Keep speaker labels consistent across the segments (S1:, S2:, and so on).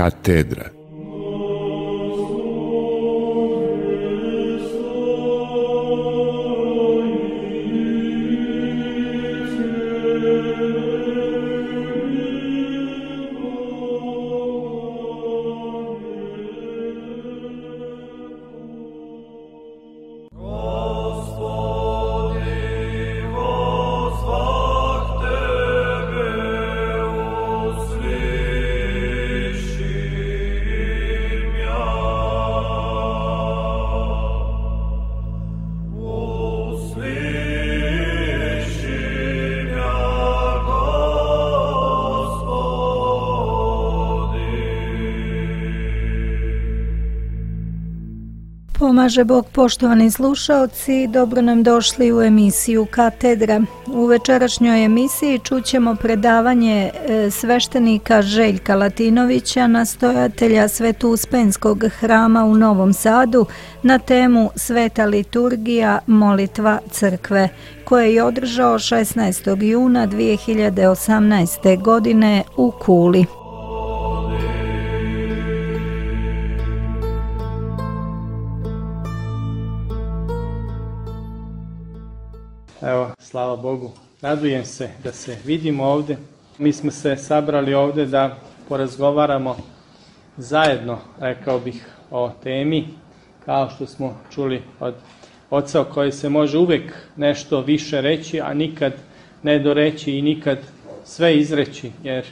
S1: Katedra.
S2: Pomaže Bog, poštovani slušaoci, dobro nam došli u emisiju Katedra. U večerašnjoj emisiji čućemo predavanje sveštenika Željka Latinovića, nastojatelja Sveto-Uspenskog hrama u Novom Sadu, na temu Sveta liturgija, molitva crkve, koje je održao 16. juna 2018. godine u Kuli.
S3: Evo, slava Bogu, radujem se da se vidimo ovdje. Mi smo se sabrali ovdje da porazgovaramo zajedno, rekao bih, o temi, kao što smo čuli od oca, o kojoj se može uvijek nešto više reći, a nikad ne doreći i nikad sve izreći, jer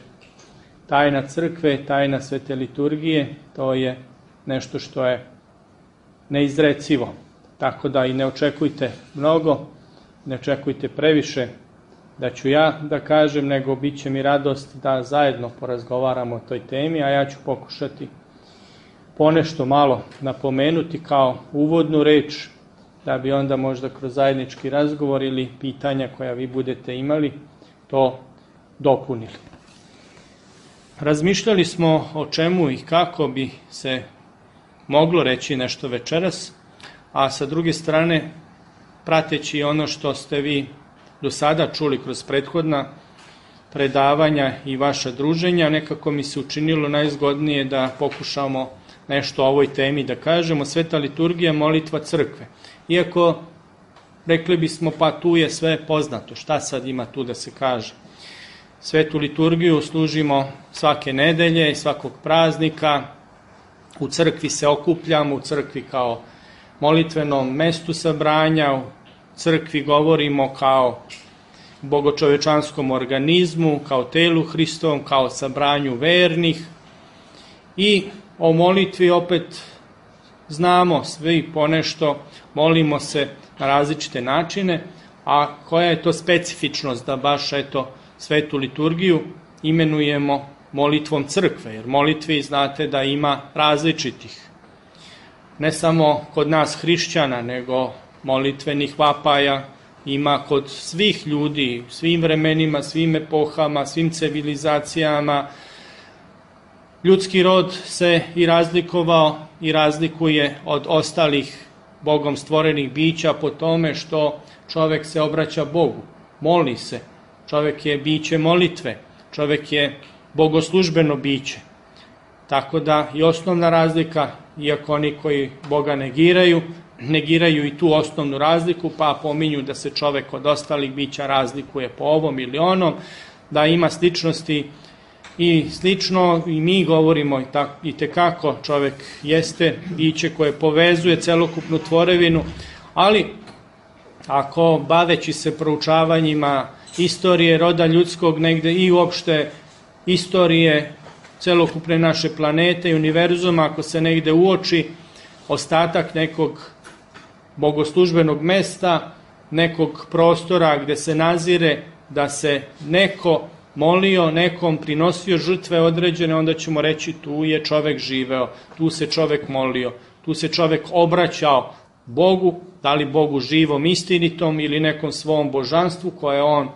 S3: tajna crkve, tajna svete liturgije, to je nešto što je neizrecivo. Tako da i ne očekujte mnogo, ne očekujte previše da ću ja da kažem, nego bit će mi radost da zajedno porazgovaramo o toj temi, a ja ću pokušati ponešto malo napomenuti kao uvodnu reč, da bi onda možda kroz zajednički razgovor ili pitanja koja vi budete imali to dopunili. Razmišljali smo o čemu i kako bi se moglo reći nešto večeras, a sa druge strane, prateći ono što ste vi do sada čuli kroz prethodna predavanja i vaša druženja, nekako mi se učinilo najzgodnije da pokušamo nešto o ovoj temi da kažemo. Sveta liturgija, molitva crkve. Iako rekli bismo pa tu je sve poznato, šta sad ima tu da se kaže. Svetu liturgiju služimo svake nedelje, svakog praznika, u crkvi se okupljamo, u crkvi kao molitvenom mestu sabranja, u crkvi govorimo kao bogočovečanskom organizmu, kao telu Hristovom, kao sabranju vernih, i o molitvi opet znamo svi ponešto, molimo se na različite načine, a koja je to specifičnost da baš svetu liturgiju imenujemo molitvom crkve, jer molitvi znate da ima različitih. Ne samo kod nas hrišćana, nego molitvenih vapaja ima kod svih ljudi, svim vremenima, svim epohama, svim civilizacijama. Ljudski rod se i razlikovao i razlikuje od ostalih Bogom stvorenih bića po tome što čovjek se obraća Bogu, moli se. Čovjek je biće molitve, čovjek je bogoslužbeno biće. Tako da i osnovna razlika, iako oni koji Boga negiraju i tu osnovnu razliku, pa pominju da se čovjek od ostalih bića razlikuje po ovom ili onom, da ima sličnosti i slično, i mi govorimo i tekako čovjek jeste biće koje povezuje celokupnu tvorevinu, ali ako baveći se proučavanjima istorije roda ljudskog negde i uopšte istorije celokupne naše planete i univerzuma, ako se negde uoči ostatak nekog bogoslužbenog mesta, nekog prostora gde se nazire da se neko molio, nekom prinosio žrtve određene, onda ćemo reći tu je čovek živeo, tu se čovek molio, tu se čovek obraćao Bogu, da li Bogu živom, istinitom ili nekom svom božanstvu koje on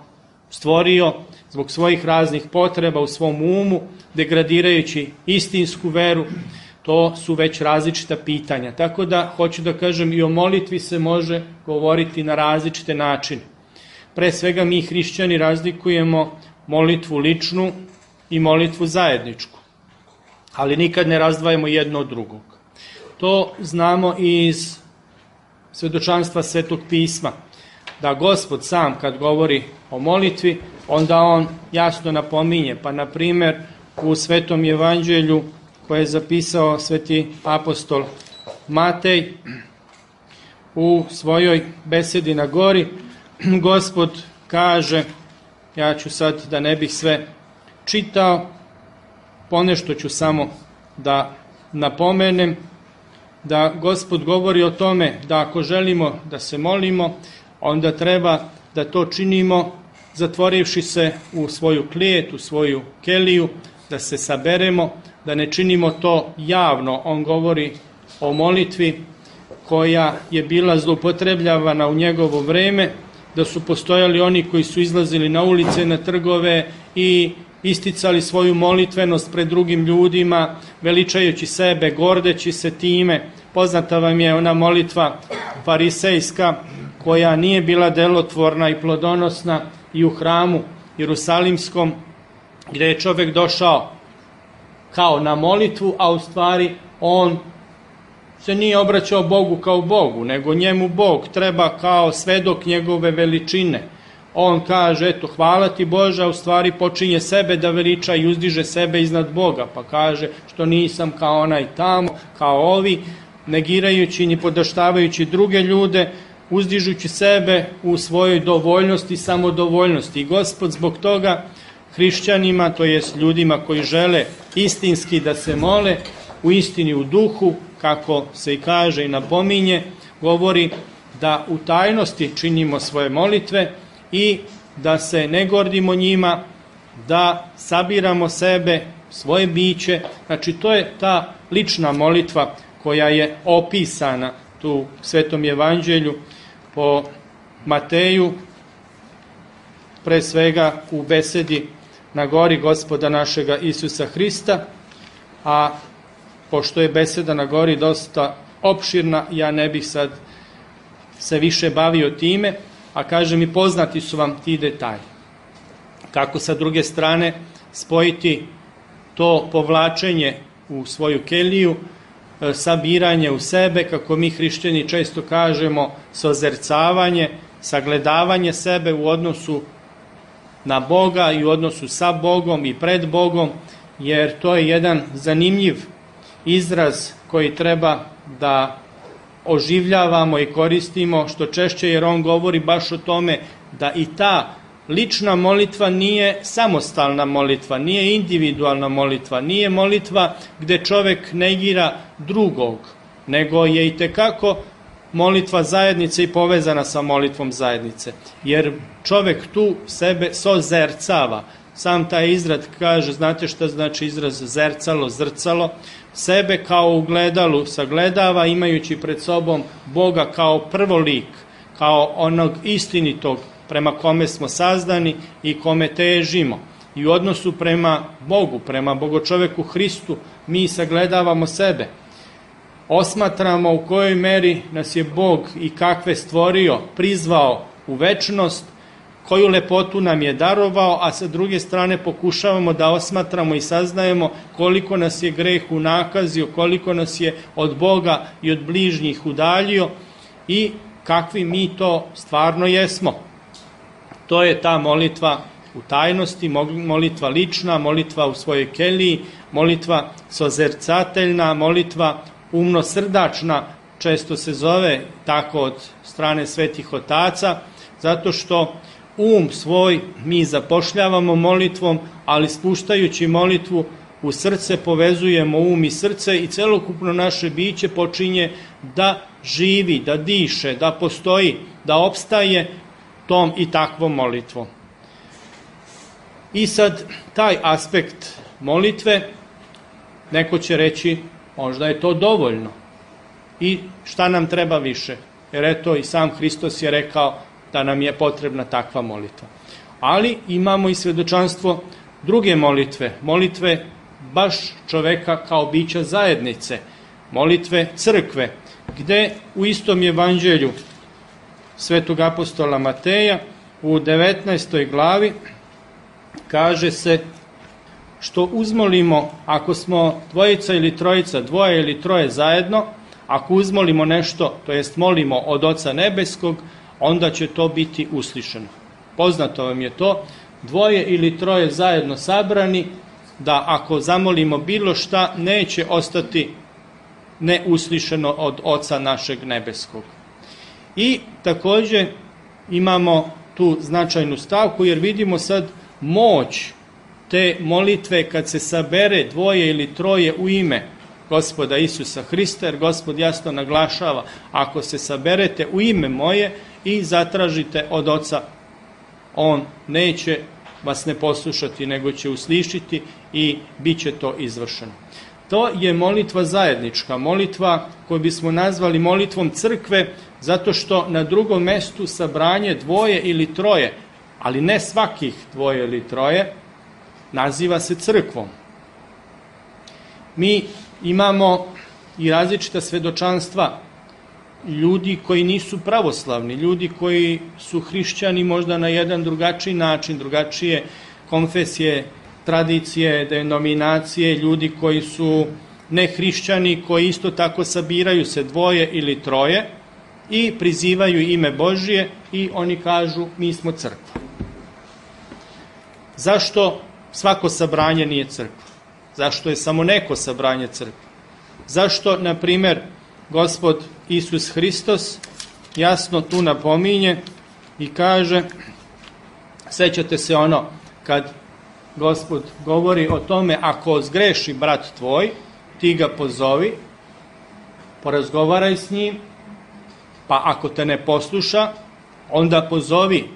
S3: stvorio zbog svojih raznih potreba u svom umu, degradirajući istinsku veru. To su već različita pitanja. Tako da, hoću da kažem, i o molitvi se može govoriti na različite načine. Pre svega mi hrišćani razlikujemo molitvu ličnu i molitvu zajedničku. ali nikad ne razdvajamo jedno od drugog. To znamo i iz svedočanstva Svetog pisma, da Gospod sam kad govori o molitvi, onda on jasno napominje, pa na primjer u Svetom evanđelju koje je zapisao sveti apostol Matej u svojoj besedi na gori, Gospod kaže, ja ću sad da ne bih sve čitao, ponešto ću samo da napomenem, da Gospod govori o tome da ako želimo da se molimo, onda treba da to činimo zatvorivši se u svoju klijet, u svoju keliju, da se saberemo, da ne činimo to javno. On govori o molitvi koja je bila zloupotrebljavana u njegovo vreme, da su postojali oni koji su izlazili na ulice, na trgove i isticali svoju molitvenost pred drugim ljudima, veličajući sebe, gordeći se time. Poznata vam je ona molitva farisejska koja nije bila delotvorna i plodonosna i u hramu Jerusalimskom, gdje je čovjek došao kao na molitvu, a u stvari on se nije obraćao Bogu kao Bogu, nego njemu Bog treba kao svedok njegove veličine. On kaže, eto, hvala ti Bože, a u stvari počinje sebe da veliča i uzdiže sebe iznad Boga, pa kaže što nisam kao onaj tamo, kao ovi, negirajući i podaštavajući druge ljude, uzdižući sebe u svojoj dovoljnosti i samodovoljnosti. I Gospod zbog toga hrišćanima, to jest ljudima koji žele istinski da se mole, u istini u duhu, kako se i kaže i napominje, govori da u tajnosti činimo svoje molitve i da se ne gordimo njima, da sabiramo sebe, svoje biće. Znači to je ta lična molitva koja je opisana tu u Svetom evanđelju po Mateju, pre svega u besedi na gori Gospoda našega Isusa Hrista, a pošto je beseda na gori dosta opširna, ja ne bih sad se više bavio time, a kažem i poznati su vam ti detalji. Kako sa druge strane spojiti to povlačenje u svoju keliju, sabiranje u sebe, kako mi hrišćani često kažemo, sozercavanje, sagledavanje sebe u odnosu na Boga i u odnosu sa Bogom i pred Bogom, jer to je jedan zanimljiv izraz koji treba da oživljavamo i koristimo što češće, jer on govori baš o tome da i ta lična molitva nije samostalna molitva, nije individualna molitva, nije molitva gde čovek negira drugog, nego je i tekako molitva zajednice i povezana sa molitvom zajednice. Jer čovek tu sebe sozercava. Sam taj izraz kaže, znate šta znači izraz zercalo, zrcalo? Sebe kao u gledalu sagledava, imajući pred sobom Boga kao prvolik, kao onog istinitog prema kome smo sazdani i kome težimo. I u odnosu prema Bogu, prema Bogočoveku Hristu, mi sagledavamo sebe. Osmatramo u kojoj meri nas je Bog i kakve stvorio, prizvao u večnost, koju lepotu nam je darovao, a sa druge strane pokušavamo da osmatramo i saznajemo koliko nas je greh unakazio, koliko nas je od Boga i od bližnjih udaljio i kakvi mi to stvarno jesmo. To je ta molitva u tajnosti, molitva lična, molitva u svojoj keliji, molitva sozercateljna, molitva umnosrdačna, često se zove tako od strane svetih otaca, zato što svoj mi zapošljavamo molitvom, ali spuštajući molitvu u srce povezujemo i srce i celokupno naše biće počinje da živi, da diše, da postoji, da opstaje tom i takvom molitvom. I sad taj aspekt molitve, neko će reći, možda je to dovoljno. I šta nam treba više? Jer eto i sam Hristos je rekao da nam je potrebna takva molitva. Ali imamo i svedočanstvo druge molitve, molitve baš čoveka kao bića zajednice, molitve crkve, gde u istom evanđelju svetog apostola Mateja u 19. glavi kaže se što uzmolimo, ako smo dvojica ili trojica, dvoje ili troje zajedno, ako uzmolimo nešto, to jest molimo od Oca Nebeskog, onda će to biti uslišeno. Poznato vam je to, dvoje ili troje zajedno sabrani, da ako zamolimo bilo šta, neće ostati neuslišeno od Oca našeg Nebeskog. I također imamo tu značajnu stavku, jer vidimo sad moć te molitve kad se sabere dvoje ili troje u ime Gospoda Isusa Hrista, jer Gospod jasno naglašava, ako se saberete u ime moje i zatražite od Oca, on neće vas ne poslušati, nego će uslišiti i bit će to izvršeno. To je molitva zajednička, molitva koju bismo nazvali molitvom crkve, zato što na drugom mestu sabranje dvoje ili troje, ali ne svakih dvoje ili troje, naziva se crkvom. Mi imamo i različita svedočanstva ljudi koji nisu pravoslavni, ljudi koji su hrišćani možda na jedan drugačiji način, drugačije konfesije, tradicije, denominacije, ljudi koji su nehrišćani, koji isto tako sabiraju se dvoje ili troje i prizivaju ime Božije i oni kažu mi smo crkva. Zašto svako sabranje nije crkva? Zašto je samo neko sabranje crkva? Zašto, na primjer, Gospod Isus Hristos jasno tu napominje i kaže, sećate se ono kad Gospod govori o tome, ako zgreši brat tvoj, ti ga pozovi, porazgovaraj s njim, pa ako te ne posluša, onda pozovi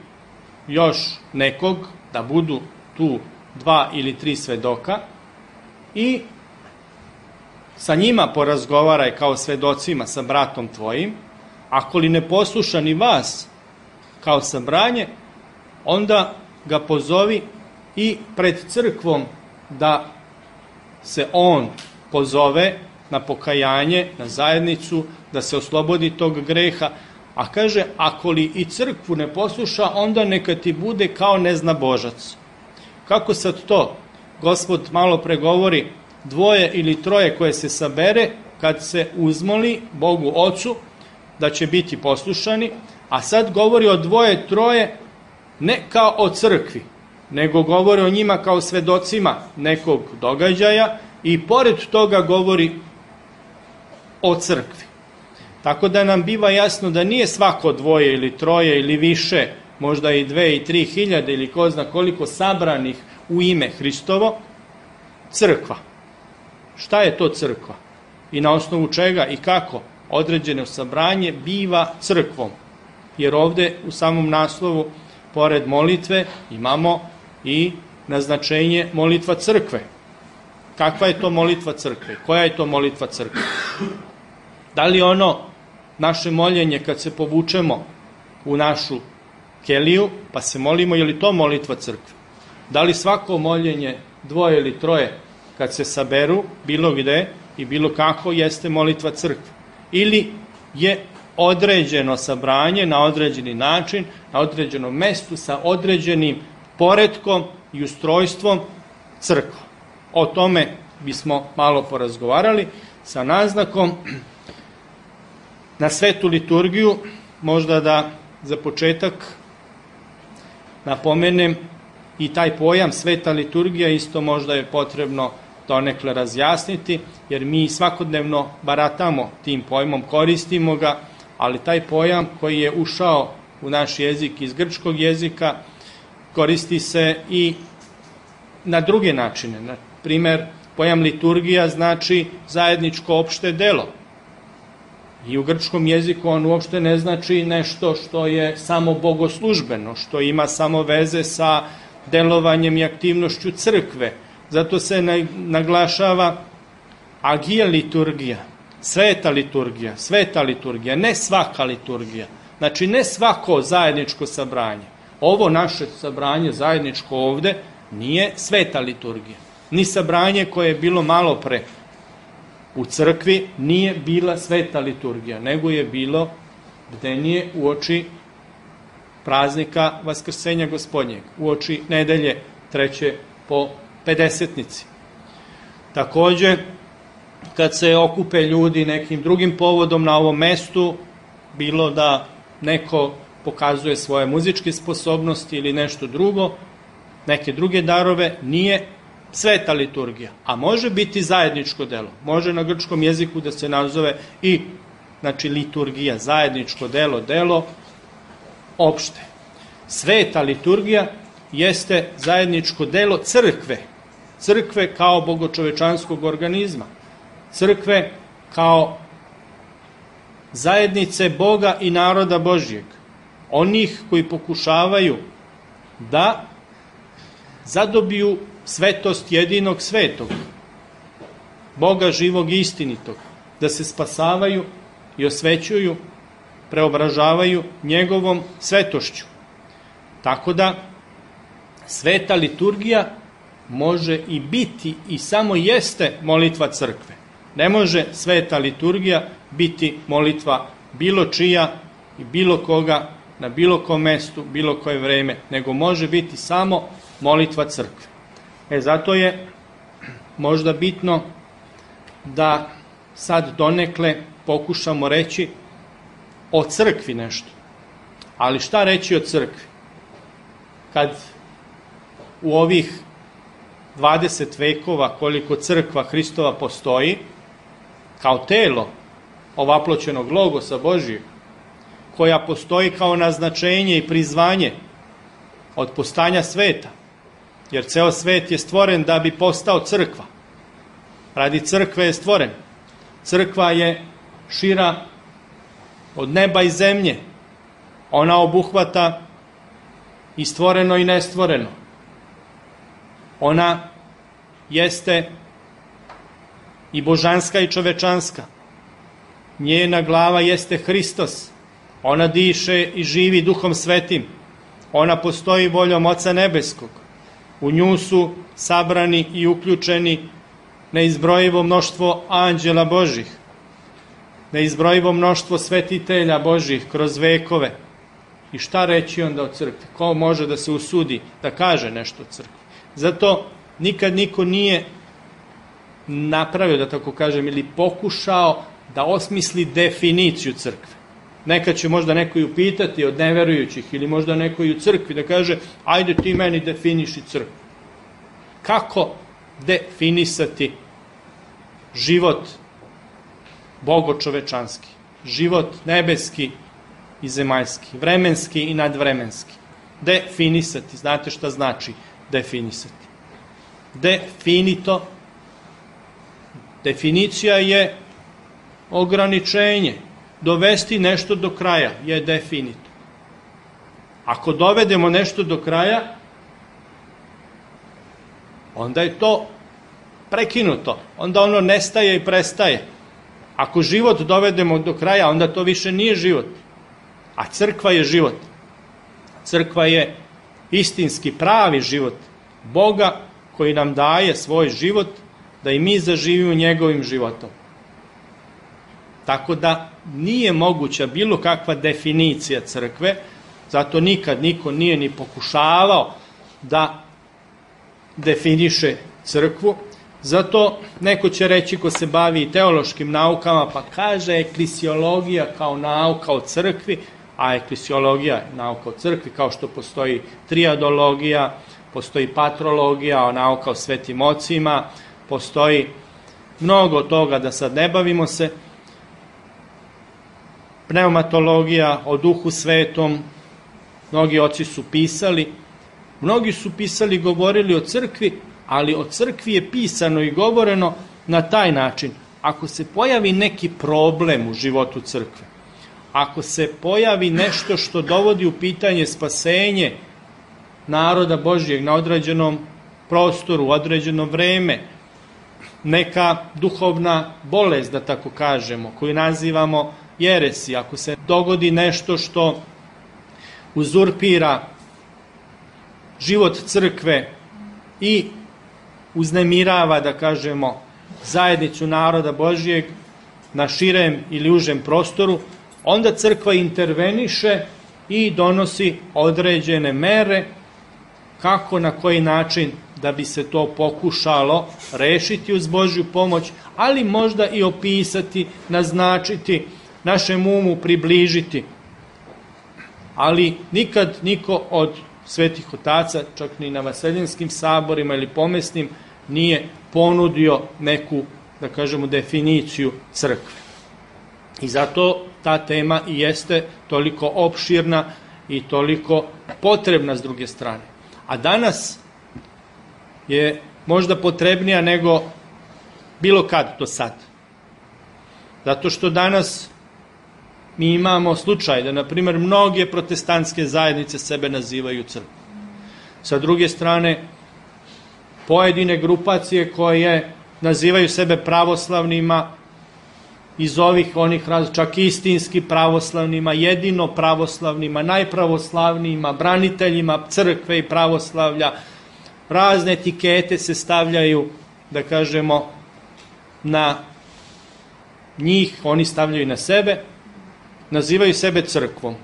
S3: još nekog da budu tu 2 ili 3 svedoka i sa njima porazgovaraj kao svedocima sa bratom tvojim. Ako li ne posluša ni vas kao sabranje, onda ga pozovi i pred crkvom da se on pozove na pokajanje, na zajednicu, da se oslobodi tog greha. A kaže, ako li i crkvu ne posluša, onda neka ti bude kao neznabožac. Kako sad to? Gospod malo pregovori, dvoje ili troje koje se sabere, kad se uzmoli Bogu Ocu, da će biti poslušani, a sad govori o dvoje, troje, ne kao o crkvi, nego govori o njima kao svedocima nekog događaja i pored toga govori o crkvi. Tako da nam biva jasno da nije svako dvoje ili troje ili više, možda i 2 i 3 hiljade ili ko zna koliko sabranih u ime Hristovo, crkva. Šta je to crkva? I na osnovu čega i kako određeno sabranje biva crkvom? Jer ovde u samom naslovu, pored molitve, imamo i naznačenje molitva crkve. Kakva je to molitva crkve? Koja je to molitva crkve? Da li ono naše moljenje kad se povučemo u našu keliju, pa se molimo, je li to molitva crkve? Da li svako moljenje dvoje ili troje kad se saberu bilo gde i bilo kako jeste molitva crkve? Ili je određeno sabranje na određeni način, na određenom mestu sa određenim poretkom i ustrojstvom crkva? O tome bismo malo porazgovarali sa naznakom na svetu liturgiju. Možda da za početak napomenem i taj pojam sveta liturgija, isto možda je potrebno donekle razjasniti, jer mi svakodnevno baratamo tim pojmom, koristimo ga, ali taj pojam koji je ušao u naš jezik iz grčkog jezika koristi se i na druge načine. Na primer, pojam liturgija znači zajedničko opšte delo. I u grčkom jeziku on uopšte ne znači nešto što je samo bogoslužbeno, što ima samo veze sa delovanjem i aktivnošću crkve. Zato se naglašava agija liturgija, sveta liturgija, ne svaka liturgija. Znači ne svako zajedničko sabranje. Ovo naše sabranje zajedničko ovde nije sveta liturgija. Ni sabranje koje je bilo malo pre u crkvi nije bila sveta liturgija, nego je bilo bdenije uoči praznika Vaskrsenja Gospodnjeg, uoči nedelje 3. po pedesetnici. Takođe, kad se okupe ljudi nekim drugim povodom na ovom mestu, bilo da neko pokazuje svoje muzičke sposobnosti ili nešto drugo, neke druge darove, nije sveta liturgija, a može biti zajedničko delo. Može na grčkom jeziku da se nazove i liturgija, zajedničko delo, delo opšte. Sveta liturgija jeste zajedničko delo crkve, crkve kao bogočovečanskog organizma, crkve kao zajednice Boga i naroda Božjeg, onih koji pokušavaju da zadobiju svetost jedinog svetog, Boga živog i istinitog, da se spasavaju i osvećuju, preobražavaju njegovom svetošću. Tako da sveta liturgija može i biti i samo jeste molitva crkve. Ne može sveta liturgija biti molitva bilo čija i bilo koga na bilo kom mestu, bilo koje vreme, nego može biti samo molitva crkve. Zato je možda bitno da sad donekle pokušamo reći o crkvi nešto. Ali šta reći o crkvi? Kad u ovih 20 vekova koliko crkva Hristova postoji, kao telo ovaploćenog logosa Božijeg, koja postoji kao naznačenje i prizvanje od postanja sveta, jer ceo svet je stvoren da bi postao crkva. Radi crkve je stvoren. Crkva je šira od neba i zemlje. Ona obuhvata i stvoreno i nestvoreno. Ona jeste i božanska i čovečanska. Njena glava jeste Hristos. Ona diše i živi Duhom Svetim. Ona postoji voljom Oca Nebeskog. U nju su sabrani i uključeni neizbrojivo mnoštvo anđela Božih, neizbrojivo mnoštvo svetitelja Božih kroz vekove. I šta reći onda o crkvi? Ko može da se usudi da kaže nešto o crkvi? Zato nikad niko nije napravio, da tako kažem, ili pokušao da osmisli definiciju crkve. Nekad će možda neko i upitati od neverujućih ili možda neko i u crkvi da kaže ajde ti meni definiši crkvu. Kako definisati život bogočovečanski, život nebeski i zemaljski, vremenski i nadvremenski? Definisati, znate šta znači definisati? Definito, definicija je ograničenje. Dovesti nešto do kraja je definito. Ako dovedemo nešto do kraja, onda je to prekinuto. Onda ono nestaje i prestaje. Ako život dovedemo do kraja, onda to više nije život. A crkva je život. Crkva je istinski pravi život Boga koji nam daje svoj život da i mi zaživimo njegovim životom. Tako da nije moguća bilo kakva definicija crkve, zato nikad niko nije ni pokušavao da definiše crkvu. Zato neko će reći ko se bavi teološkim naukama, pa kaže eklesiologija kao nauka o crkvi, a eklesiologija je nauka o crkvi, kao što postoji triadologija, postoji patrologija, nauka o svetim ocima, postoji mnogo toga, da sad ne bavimo se, pneumatologija o duhu svetom, mnogi oci su pisali, govorili o crkvi, ali o crkvi je pisano i govoreno na taj način. Ako se pojavi neki problem u životu crkve, ako se pojavi nešto što dovodi u pitanje spasenje naroda Božjeg na određenom prostoru, u određeno vreme, neka duhovna bolest, da tako kažemo, koju nazivamo jeresi, ako se dogodi nešto što uzurpira život crkve i uznemirava, da kažemo, zajednicu naroda Božjeg na širem ili užem prostoru, onda crkva interveniše i donosi određene mere kako, na koji način da bi se to pokušalo rešiti uz Božju pomoć, ali možda i opisati, naznačiti, našem umu približiti. Ali nikad niko od svetih otaca, čak ni na vaseljenskim saborima ili pomesnim, nije ponudio neku, da kažemo, definiciju crkve. I zato ta tema i jeste toliko opširna i toliko potrebna s druge strane. A danas je možda potrebnija nego bilo kad do sad. Zato što danas mi imamo slučaj da, na primjer, mnoge protestantske zajednice sebe nazivaju crkvom. Sa druge strane, pojedine grupacije koje nazivaju sebe pravoslavnima, iz onih čak istinski pravoslavnima, jedino pravoslavnima, najpravoslavnijima, braniteljima crkve i pravoslavlja, razne etikete se stavljaju, da kažemo, na njih, oni stavljaju na sebe, nazivaju sebe crkvom,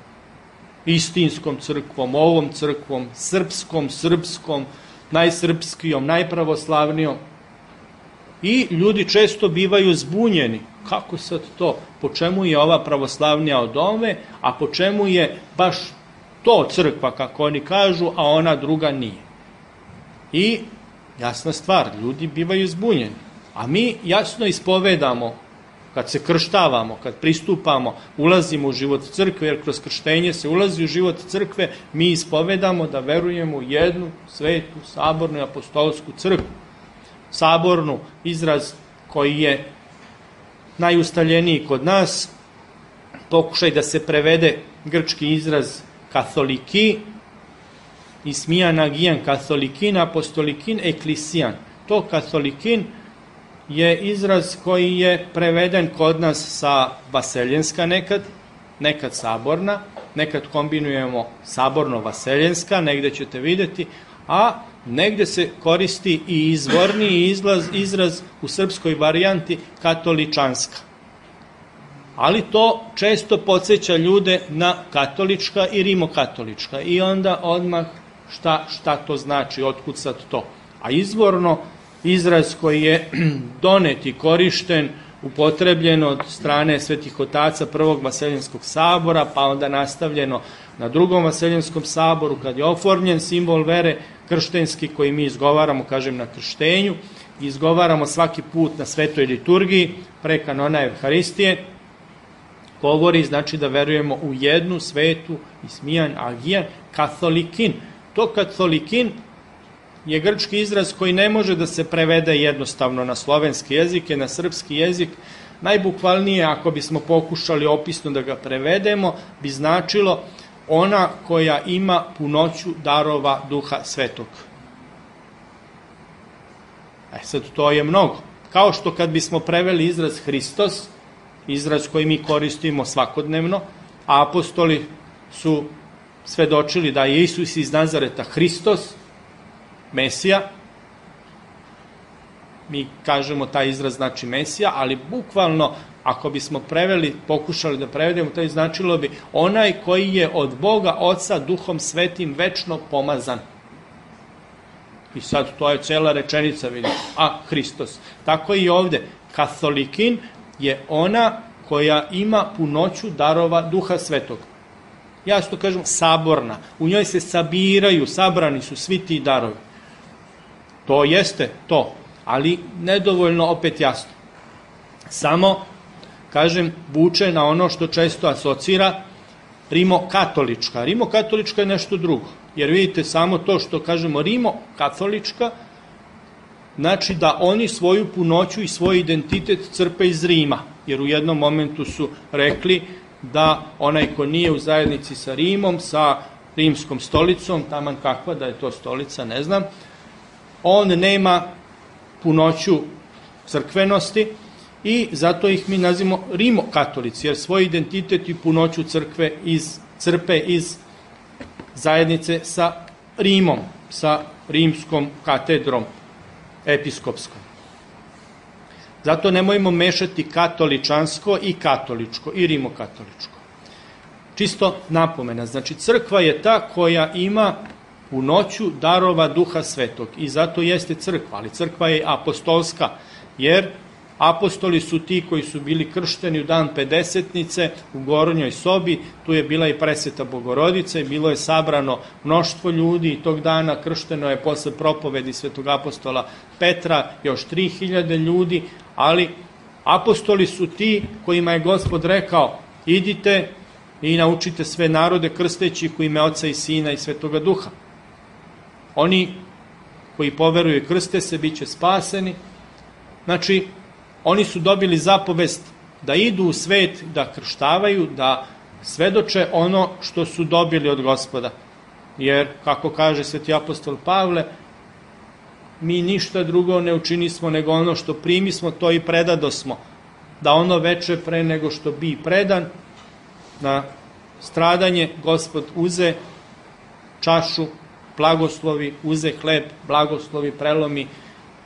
S3: istinskom crkvom, ovom crkvom, srpskom, najsrpskijom, najpravoslavnijom. I ljudi često bivaju zbunjeni. Kako sad to? Po čemu je ova pravoslavnija od ove, a po čemu je baš to crkva, kako oni kažu, a ona druga nije? I jasna stvar, ljudi bivaju zbunjeni. A mi jasno ispovedamo, kad se krštavamo, kad pristupamo, ulazimo u život crkve, jer kroz krštenje se ulazi u život crkve, mi ispovedamo da verujemo u jednu svetu, sabornu i apostolsku crkvu. Sabornu, izraz koji je najustaljeniji kod nas, pokušaj da se prevede grčki izraz katholiki, ismijan agijan katholikin, apostolikin, eklisijan. To katholikin je izraz koji je preveden kod nas sa vaseljenska nekad saborna, nekad kombinujemo saborno-vaseljenska, negde ćete videti, a negde se koristi i izvorni izraz u srpskoj varijanti katoličanska. Ali to često podsjeća ljude na katolička i rimokatolička. I onda odmah šta to znači, otkud sad to. A izvorno izraz koji je donet i korišten, upotrebljen od strane svetih otaca Prvog vaseljenskog sabora, pa onda nastavljeno na Drugom vaseljenskom saboru, kad je oformljen simbol vere krštenski koji mi izgovaramo, kažem, na krštenju, izgovaramo svaki put na svetoj liturgiji, pre kanona Evharistije, govori znači da verujemo u jednu svetu, ismijan, agijan, katholikin. To katholikin je grčki izraz koji ne može da se prevede jednostavno na slovenski jezik, na srpski jezik. Najbukvalnije, ako bismo pokušali opisno da ga prevedemo, bi značilo ona koja ima punoću darova Duha Svetog. Sad to je mnogo. Kao što kad bismo preveli izraz Hristos, izraz koji mi koristimo svakodnevno, a apostoli su svedočili da je Isus iz Nazareta Hristos, Mesija, mi kažemo taj izraz znači Mesija, ali bukvalno ako bismo preveli, pokušali da prevedemo, to značilo bi onaj koji je od Boga Oca Duhom Svetim večno pomazan. I sad to je cela rečenica, vidite, a Hristos. Tako i ovde, katholikin je ona koja ima punoću darova Duha Svetog. Ja što kažem saborna, u njoj se sabiraju, sabrani su svi ti darovi. To jeste to, ali nedovoljno opet jasno. Samo, kažem, vuče na ono što često asocira rimokatolička. Rimokatolička je nešto drugo, jer vidite samo to što kažemo rimokatolička, znači da oni svoju punoću i svoj identitet crpe iz Rima, jer u jednom momentu su rekli da onaj ko nije u zajednici sa Rimom, sa rimskom stolicom, taman kakva da je to stolica, ne znam, on nema punoću crkvenosti i zato ih mi nazivamo rimokatolici, jer svoj identitet i punoću crkve crpe iz zajednice sa Rimom, sa rimskom katedrom episkopskom. Zato nemojmo mešati katoličansko i katoličko i rimokatoličko. Čisto napomena, znači crkva je ta koja ima u noću darova Duha Svetog. I zato jeste crkva, ali crkva je apostolska, jer apostoli su ti koji su bili kršteni u dan Pedesetnice u Gornjoj sobi, tu je bila i presveta Bogorodica i bilo je sabrano mnoštvo ljudi i tog dana kršteno je posle propovedi svetog apostola Petra još 3000 ljudi, ali apostoli su ti kojima je Gospod rekao: idite i naučite sve narode krsteći u ime Oca i Sina i Svetoga Duha. Oni koji poveruju i krste se, bit će spaseni. Znači, oni su dobili zapovest da idu u svet, da krštavaju, da svedoče ono što su dobili od Gospoda. Jer, kako kaže sveti apostol Pavle, mi ništa drugo ne učinismo nego ono što primismo, to i predadosmo. Da ono veče pre nego što bi predan na stradanje, Gospod uze čašu, blagoslovi, uze hleb, blagoslovi, prelomi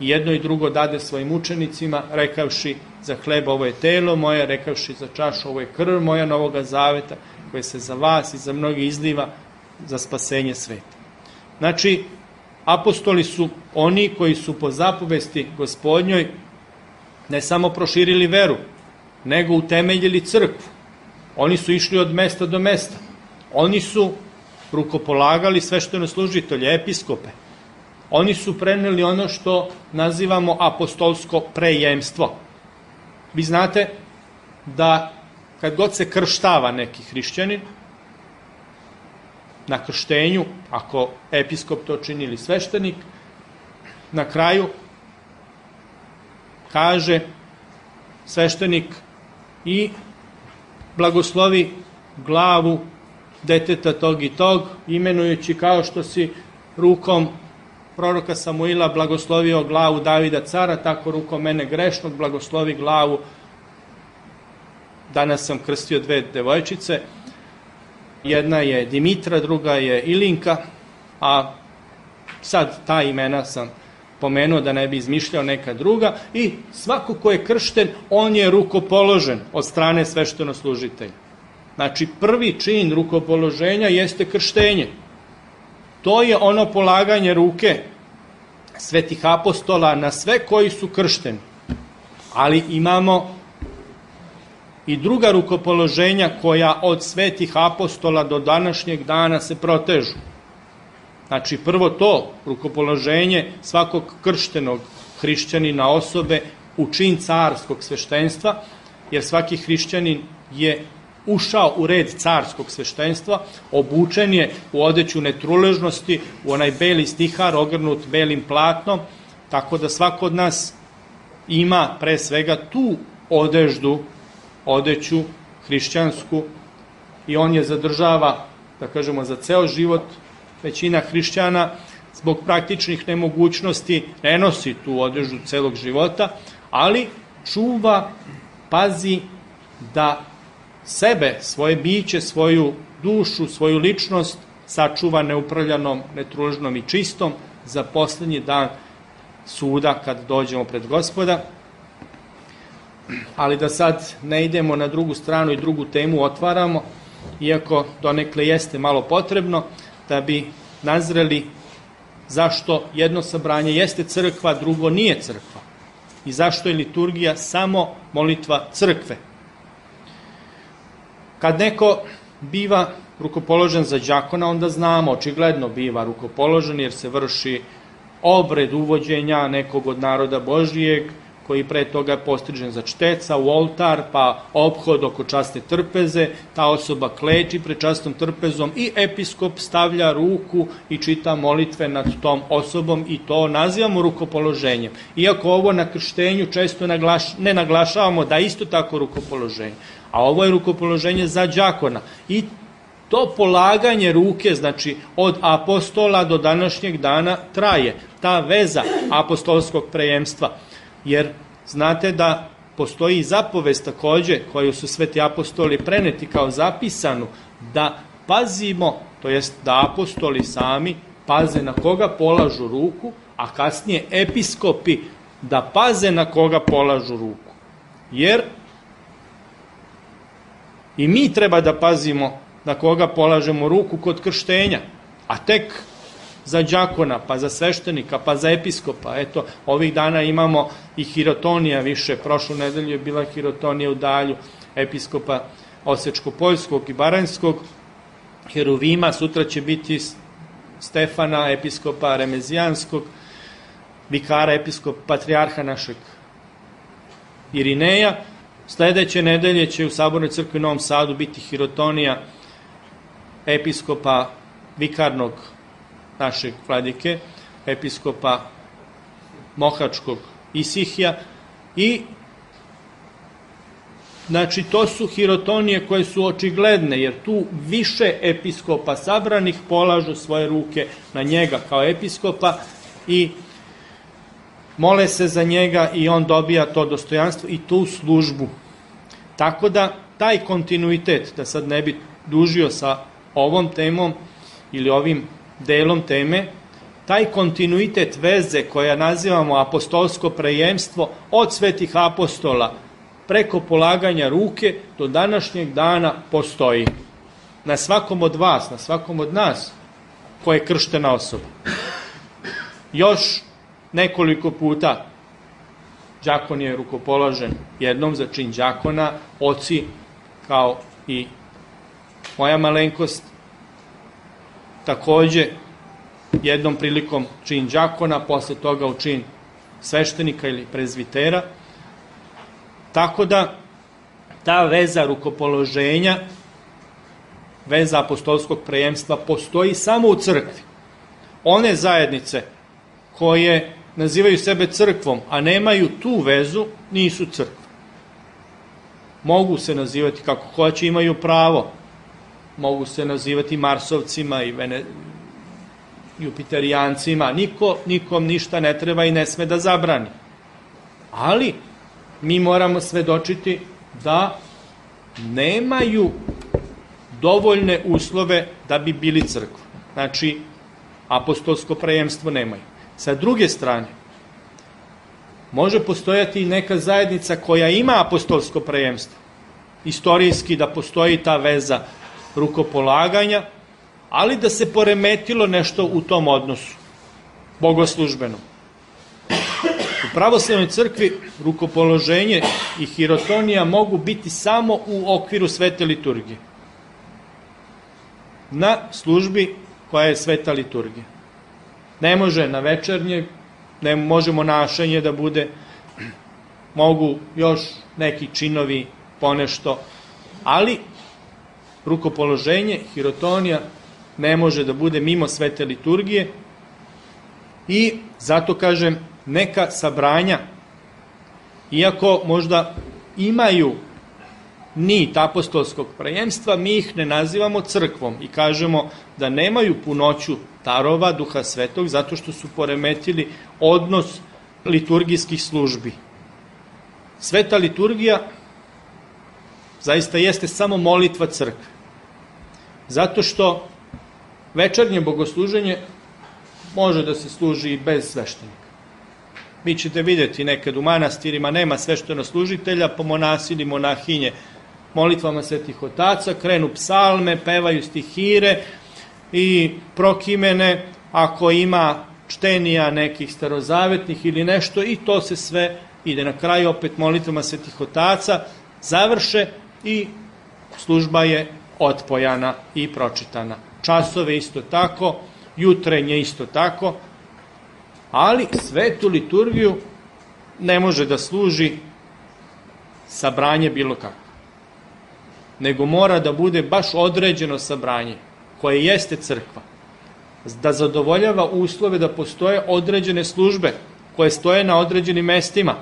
S3: i jedno i drugo dade svojim učenicima, rekavši: za hleb ovo je telo moje, rekavši za čašu ovo je krv moja novoga zaveta, koje se za vas i za mnogi izliva za spasenje sveta. Znači, apostoli su oni koji su po zapovesti Gospodnjoj ne samo proširili veru, nego utemeljili crkvu. Oni su išli od mesta do mesta. Oni su rukopolagali sveštenoslужitelje, episkope. Oni su preneli ono što nazivamo apostolsko prejemstvo. Vi znate da kad god se krštava neki hrišćanin, na krštenju, ako episkop to čini ili sveštenik, na kraju kaže sveštenik: i blagoslovi glavu deteta tog i tog, imenujući kao što si rukom proroka Samuila blagoslovio glavu Davida cara, tako rukom mene grešnog blagoslovi glavu. Danas sam krstio 2 devojčice, jedna je Dimitra, druga je Ilinka, a sad ta imena sam pomenuo da ne bi izmišljao neka druga, i svako ko je kršten, on je rukopoložen od strane sveštenoslужitelja. Znači, prvi čin rukopoloženja jeste krštenje. To je ono polaganje ruke svetih apostola na sve koji su kršteni. Ali imamo i druga rukopoloženja koja od svetih apostola do današnjeg dana se protežu. Znači, prvo to rukopoloženje svakog krštenog hrišćanina osobe u čin carskog sveštenstva, jer svaki hrišćanin je ušao u red carskog sveštenstva, obučen je u odeću netruležnosti, u onaj beli stihar ogrnut belim platnom, tako da svako od nas ima pre svega tu odeću hrišćansku, i on je zadržava, da kažemo, za ceo život. Većina hrišćana zbog praktičnih nemogućnosti ne nosi tu odeću celog života, ali čuva, pazi da sebe, svoje biće, svoju dušu, svoju ličnost sačuva neuprljanom, netruležnom i čistom za poslednji dan suda kad dođemo pred Gospoda. Ali da sad ne idemo na drugu stranu i drugu temu otvaramo, iako donekle jeste malo potrebno, da bi nazreli zašto jedno sabranje jeste crkva, drugo nije crkva, i zašto je liturgija samo molitva crkve. Kad neko biva rukopoložen za đakona, onda znamo, očigledno biva rukopoložen jer se vrši obred uvođenja nekog od naroda Božijeg, koji pre toga je postrižen za čteca u oltar, pa ophod oko časne trpeze, ta osoba kleči pred časnom trpezom i episkop stavlja ruku i čita molitve nad tom osobom, i to nazivamo rukopoloženjem. Iako ovo na krštenju često ne naglašavamo da isto tako rukopoloženje, a ovo je rukopoloženje za đakona. I to polaganje ruke, znači od apostola do današnjeg dana traje, ta veza apostolskog prejemstva. Jer znate da postoji zapovest takođe koju su sveti apostoli preneti kao zapisanu, da pazimo, to jest da apostoli sami paze na koga polažu ruku, a kasnije episkopi da paze na koga polažu ruku. Jer i mi treba da pazimo na koga polažemo ruku kod krštenja, a tek za đakona, pa za sveštenika, pa za episkopa. Eto, ovih dana imamo i hirotonija više. Prošlu nedelju je bila hirotonija u Dalju, episkopa Osečko-Poljskog i Baranjskog, Heruvima, sutra će biti Stefana, episkopa Remezijanskog, vikara, episkop, patrijarha našeg Irineja. Sledeće nedelje će u Sabornoj crkvi u Novom Sadu biti hirotonija episkopa vikarnog našeg vladike, episkopa Mohačkog Isihija i znači to su hirotonije koje su očigledne, jer tu više episkopa sabranih polažu svoje ruke na njega kao episkopa i mole se za njega i on dobija to dostojanstvo i tu službu. Tako da taj kontinuitet, da sad ne bi dužio sa ovom temom ili ovim delom teme, taj kontinuitet veze koja nazivamo apostolsko prejemstvo od svetih apostola preko polaganja ruke do današnjeg dana postoji. Na svakom od vas, na svakom od nas koja je krštena osoba. Još nekoliko puta đakon je rukopoložen, jednom za čin đakona, oci kao i moja malenkost, takođe jednom prilikom čin đakona, posle toga u čin sveštenika ili prezvitera. Tako da ta veza rukopoloženja, veza apostolskog prejemstva postoji samo u crkvi. One zajednice koje nazivaju sebe crkvom, a nemaju tu vezu, nisu crkva. Mogu se nazivati kako hoće, imaju pravo. Mogu se nazivati marsovcima i jupiterijancima. Nikom ništa ne treba i ne sme da zabrani. Ali mi moramo svedočiti da nemaju dovoljne uslove da bi bili crkva. Znači, apostolsko prejemstvo nemaju. Sa druge strane, može postojati i neka zajednica koja ima apostolsko prejemstvo. Istorijski da postoji ta veza rukopolaganja, ali da se poremetilo nešto u tom odnosu, bogoslužbenom. U pravoslavnoj crkvi rukopoloženje i hirotonija mogu biti samo u okviru svete liturgije. Na službi koja je sveta liturgija. Ne može na večernje, ne možemo našenje da bude, mogu još neki činovi ponešto, ali rukopoloženje, hirotonija ne može da bude mimo svete liturgije i zato kažem neka sabranja, iako možda imaju nit apostolskog prejemstva, mi ih ne nazivamo crkvom i kažemo da nemaju punoću darova Duha Svetog zato što su poremetili odnos liturgijskih službi. Sveta liturgija zaista jeste samo molitva crkve. Zato što večernje bogosluženje može da se služi i bez sveštenika. Vi ćete vidjeti nekad u manastirima nema sveštenoslужitelja, pa monasi ili monahinje molitvama svetih otaca krenu psalme, pevaju stihire i prokimene, ako ima čtenija nekih starozavetnih ili nešto, i to se sve ide na kraju opet molitvama svetih otaca, završe i služba je otpojana i pročitana. Časove isto tako, jutrenje isto tako, ali svetu liturgiju ne može da služi sabranje bilo kako, nego mora da bude baš određeno sabranje, koje jeste crkva, da zadovoljava uslove da postoje određene službe koje stoje na određenim mestima.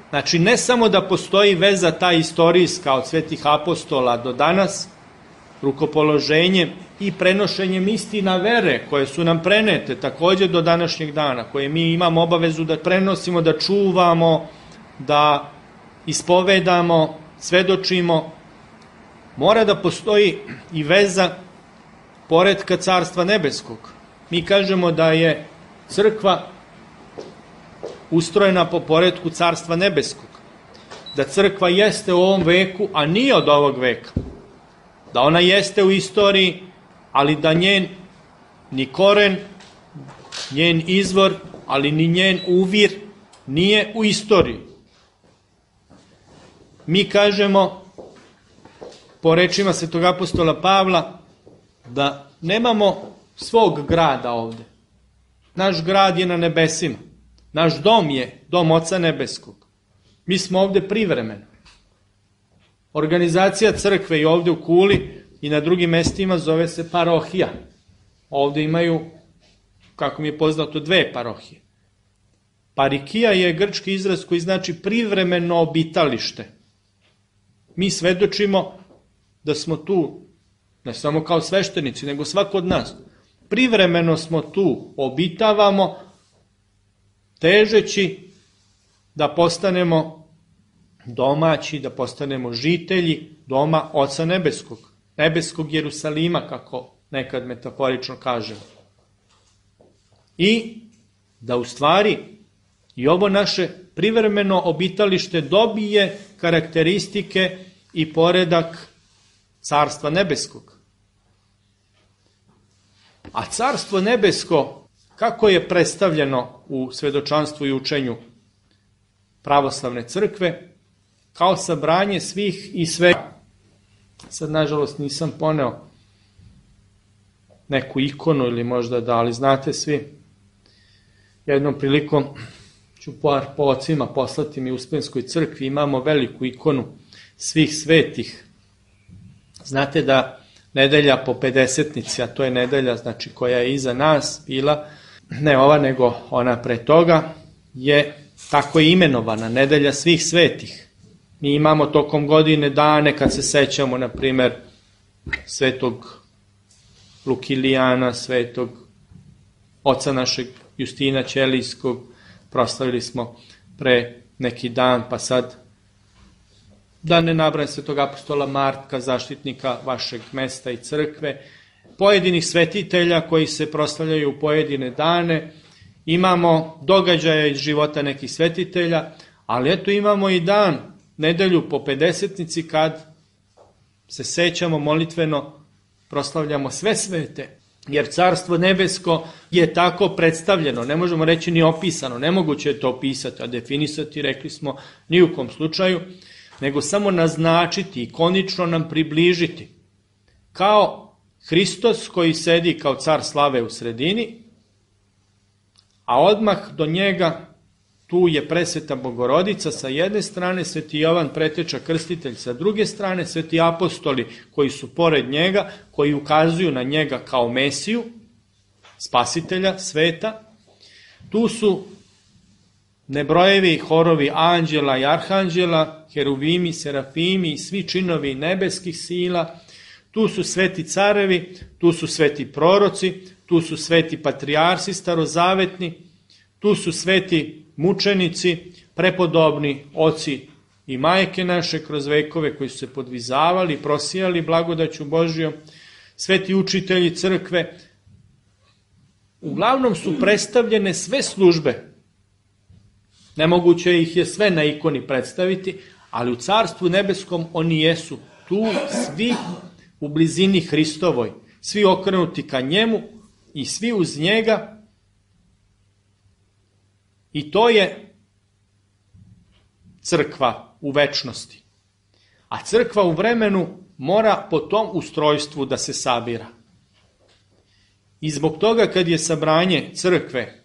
S3: Znači, ne samo da postoji veza ta istorijska od svetih apostola do danas, rukopoloženjem i prenošenjem istina vere koje su nam prenete takođe do današnjeg dana, koje mi imamo obavezu da prenosimo, da čuvamo, da ispovedamo, svedočimo, mora da postoji i veza poretka Carstva nebeskog. Mi kažemo da je crkva ustrojena po poretku Carstva nebeskog, da crkva jeste u ovom veku, a nije od ovog veka, da ona jeste u istoriji, ali da njen ni koren, njen izvor, ali ni njen uvir nije u istoriji. Mi kažemo, po rečima svetog apostola Pavla, da nemamo svog grada ovde. Naš grad je na nebesima. Naš dom je dom Oca Nebeskog. Mi smo ovde privremeno. Organizacija crkve i ovde u Kuli i na drugim mestima zove se parohija. Ovde imaju, kako mi je poznato, 2 parohije. Parikija je grčki izraz koji znači privremeno obitalište. Mi svedočimo da smo tu, ne samo kao sveštenici, nego svako od nas. Privremeno smo tu, obitavamo, težeći da postanemo domaći, da postanemo žitelji doma Oca Nebeskog, nebeskog Jerusalima, kako nekad metaforično kažemo. I da u stvari i ovo naše privremeno obitalište dobije karakteristike i poredak Carstva Nebeskog. A Carstvo Nebesko, kako je predstavljeno u svedočanstvu i učenju pravoslavne crkve, kao sabranje svih i svega. Sad, nažalost, nisam poneo neku ikonu ili možda da, ali znate svi, jednom prilikom ću po ocima poslati mi u Uspenskoj crkvi, imamo veliku ikonu svih svetih. Znate da nedelja po Pedesetnici, a to je nedelja znači koja je iza nas bila, ne ova nego ona pre toga, je tako je imenovana, nedelja svih svetih. Mi imamo tokom godine dane kad se sećamo, na primer, svetog Lukilijana, svetog oca našeg Justina Ćelijskog, proslavili smo pre neki dan, pa sad da ne nabrajam svetog apostola Martka, zaštitnika vašeg mesta i crkve, pojedinih svetitelja koji se proslavljaju u pojedine dane, imamo događaje iz života nekih svetitelja, ali eto imamo i dan, nedelju po Pedesetnici, kad se sećamo molitveno, proslavljamo sve svete, jer Carstvo Nebesko je tako predstavljeno, ne možemo reći ni opisano, nemoguće je to opisati, a definisati, rekli smo, ni u kom slučaju, nego samo naznačiti, ikonično nam približiti, kao Hristos koji sedi kao car slave u sredini, a odmah do njega tu je presveta Bogorodica sa jedne strane, sveti Jovan preteča krstitelj sa druge strane, sveti apostoli koji su pored njega, koji ukazuju na njega kao Mesiju, spasitelja sveta. Tu su nebrojevi horovi anđela i arhanđela, heruvimi, serafimi i svi činovi nebeskih sila. Tu su sveti carevi, tu su sveti proroci, tu su sveti patrijarsi starozavetni, tu su sveti mučenici, prepodobni oci i majke naše kroz vekove koji su se podvizavali, prosijali blagodaću Božjom, sveti učitelji crkve. Uglavnom su predstavljene sve službe. Nemoguće ih je sve na ikoni predstaviti, ali u Carstvu Nebeskom oni jesu tu svi u blizini Hristovoj, svi okrenuti ka njemu i svi uz njega. I to je crkva u večnosti. A crkva u vremenu mora po tom ustrojstvu da se sabira. I zbog toga kad je sabranje crkve,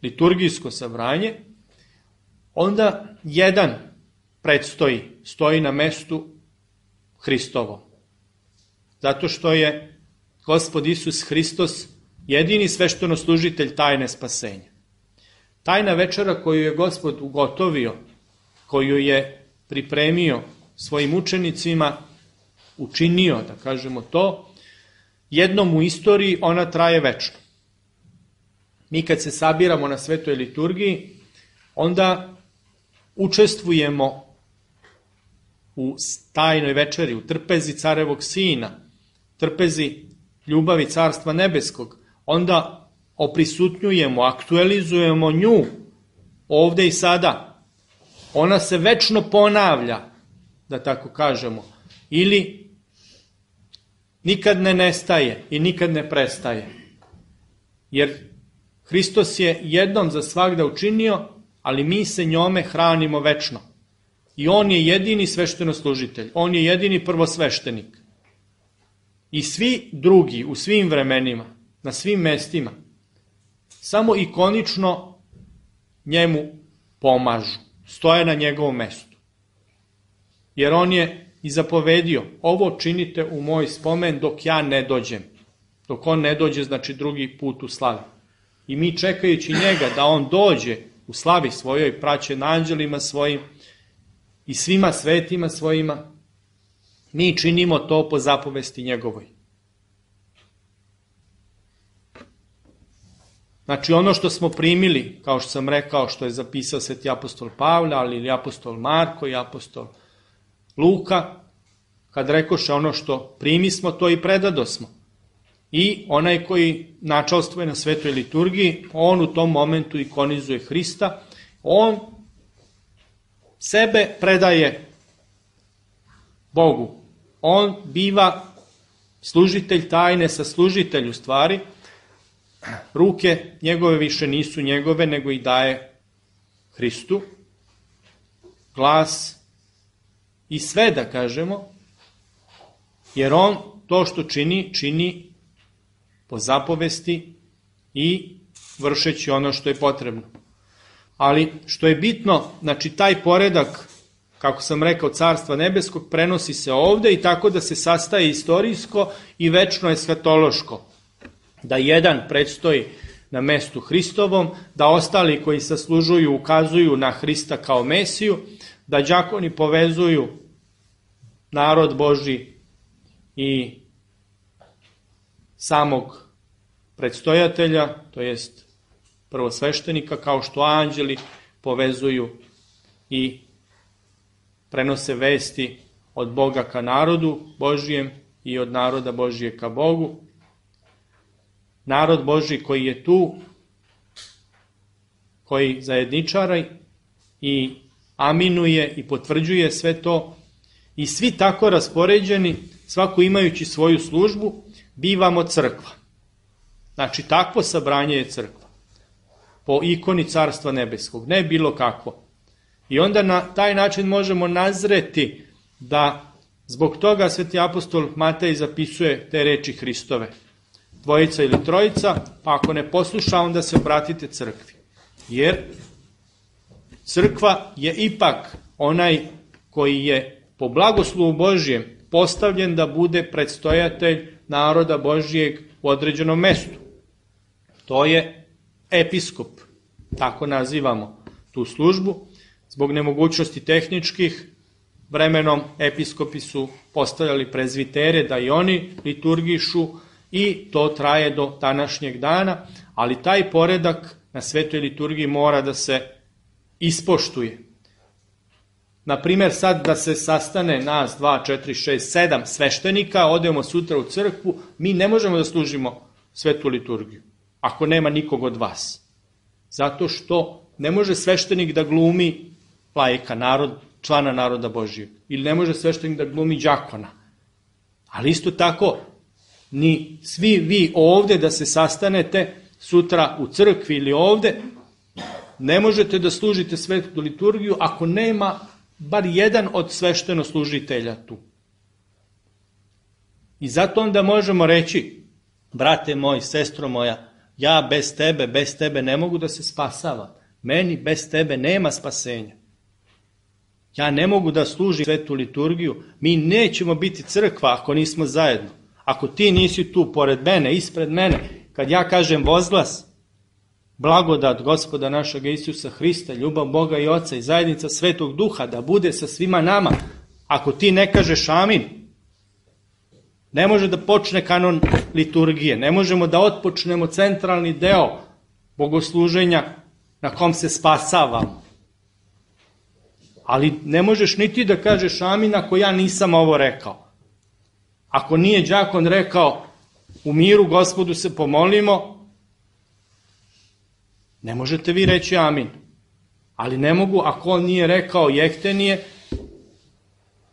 S3: liturgijsko sabranje, onda jedan stoji na mestu Hristovom. Zato što je Gospod Isus Hristos jedini sveštenoslužitelj tajne spasenja. Tajna večera koju je Gospod ugotovio, koju je pripremio svojim učenicima, učinio, da kažemo to, jednom u istoriji ona traje večno. Mi kad se sabiramo na svetoj liturgiji, onda učestvujemo u tajnoj večeri, u trpezi carevog sina, trpezi ljubavi Carstva Nebeskog, onda oprisutnjujemo, aktualizujemo nju ovde i sada. Ona se večno ponavlja, da tako kažemo, ili nikad ne nestaje i nikad ne prestaje. jer Hristos je jednom za svagda učinio, ali mi se njome hranimo večno. I on je jedini sveštenoslužitelj, on je jedini prvosveštenik. I svi drugi u svim vremenima, na svim mestima, samo ikonično njemu pomažu, stoje na njegovom mestu. Jer on je i zapovedio, ovo činite u moj spomen dok ja ne dođem. Dok on ne dođe, znači drugi put u slavi. I mi čekajući njega da on dođe u slavi svojoj, praćen anđelima svojim i svima svetima svojima, mi činimo to po zapovesti njegovoj. Znači ono što smo primili, kao što sam rekao, što je zapisao sveti apostol Pavle, ali i apostol Marko i apostol Luka, kad rekoše ono što primismo, to i predadosmo. I onaj koji načalstvuje na svetoj liturgiji, on u tom momentu ikonizuje Hrista, on sebe predaje Bogu. On biva služitelj tajne, saslužitelj u stvari. Ruke njegove više nisu njegove, nego ih daje Hristu. Glas i sve, da kažemo, jer on to što čini po zapovesti i vršeći ono što je potrebno. Ali što je bitno, znači taj poredak, kako sam rekao, Carstva nebeskog, prenosi se ovde i tako da se sastaje istorijsko i večno eskatološko. Da jedan predstoji na mestu Hristovom, da ostali koji saslužuju ukazuju na Hrista kao Mesiju, da đakoni povezuju narod Božji i samog predstojatelja, to jest prvosveštenika, kao što anđeli povezuju i prenose vesti od Boga ka narodu Božijem i od naroda Božije ka Bogu. Narod Božji koji je tu, koji zajedničara i aminuje i potvrđuje sve to, i svi tako raspoređeni, svako imajući svoju službu, bivamo crkva. Znači, takvo sabranje je crkva. Po ikoni Carstva nebeskog, ne bilo kakvo. I onda na taj način možemo nazreti da zbog toga sveti apostol Matej zapisuje te reči Hristove. Dvojica ili trojica, pa ako ne posluša, onda se obratite crkvi. Jer crkva je ipak onaj koji je po blagoslovu Božijem postavljen da bude predstojatelj naroda Božijeg u određenom mestu. To je episkop, tako nazivamo tu službu. Zbog nemogućnosti tehničkih, vremenom episkopi su postavljali prezvitere da i oni liturgišu i to traje do današnjeg dana, ali taj poredak na svetoj liturgiji mora da se ispoštuje. Naprimer, sad da se sastane nas 2, 4, 6, 7 sveštenika, odemo sutra u crkvu, mi ne možemo da služimo svetu liturgiju, ako nema nikog od vas. Zato što ne može sveštenik da glumi laika, člana naroda Božijeg, ili ne može sveštenik da glumi đakona. Ali isto tako, ni svi vi ovde da se sastanete sutra u crkvi ili ovde, ne možete da služite svetu liturgiju ako nema bar jedan od sveštenoslužitelja tu. I zato onda možemo reći, brate moj, sestro moja, ja bez tebe ne mogu da se spasavam. Meni bez tebe nema spasenja. Ja ne mogu da služim svetu liturgiju. Mi nećemo biti crkva ako nismo zajedno. Ako ti nisi tu pored mene, ispred mene, kad ja kažem vozglas, blagodat Gospoda našeg Isusa Hrista, ljubav Boga i Oca i zajednica Svetog Duha da bude sa svima nama, ako ti ne kažeš amin, ne može da počne kanon liturgije, ne možemo da otpočnemo centralni deo bogosluženja na kom se spasavamo. Ali ne možeš ni ti da kažeš amin ako ja nisam ovo rekao. Ako nije đakon rekao u miru Gospodu se pomolimo, ne možete vi reći amin. Ali ne mogu ako on nije rekao jehtenije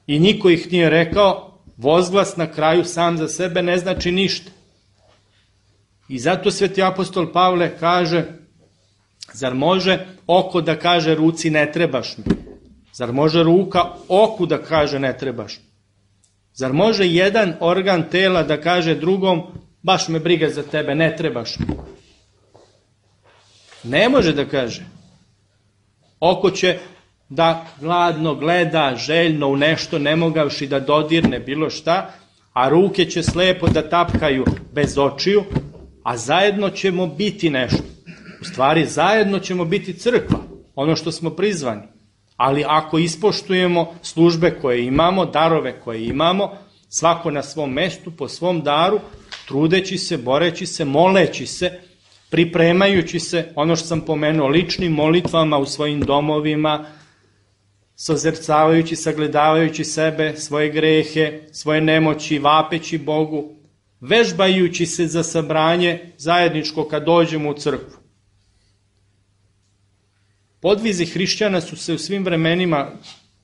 S3: i niko ih nije rekao, vozglas na kraju sam za sebe ne znači ništa. I zato sveti apostol Pavle kaže, zar može oko da kaže ruci ne trebaš mi? Zar može ruka oku da kaže ne trebaš mi? Zar može jedan organ tela da kaže drugom, baš me briga za tebe, ne trebaš mi? Ne može da kaže. Oko će da gladno gleda, željno u nešto, ne mogavši da dodirne bilo šta, a ruke će slepo da tapkaju bez očiju, a zajedno ćemo biti nešto. U stvari, zajedno ćemo biti crkva, ono što smo prizvani. Ali ako ispoštujemo službe koje imamo, darove koje imamo, svako na svom mestu, po svom daru, trudeći se, boreći se, moleći se, pripremajući se, ono što sam pomenuo, ličnim molitvama u svojim domovima, sozercavajući, sagledavajući sebe, svoje grehe, svoje nemoći, vapeći Bogu, vežbajući se za sabranje zajedničko kad dođemo u crkvu. Podvizi hrišćana su se u svim vremenima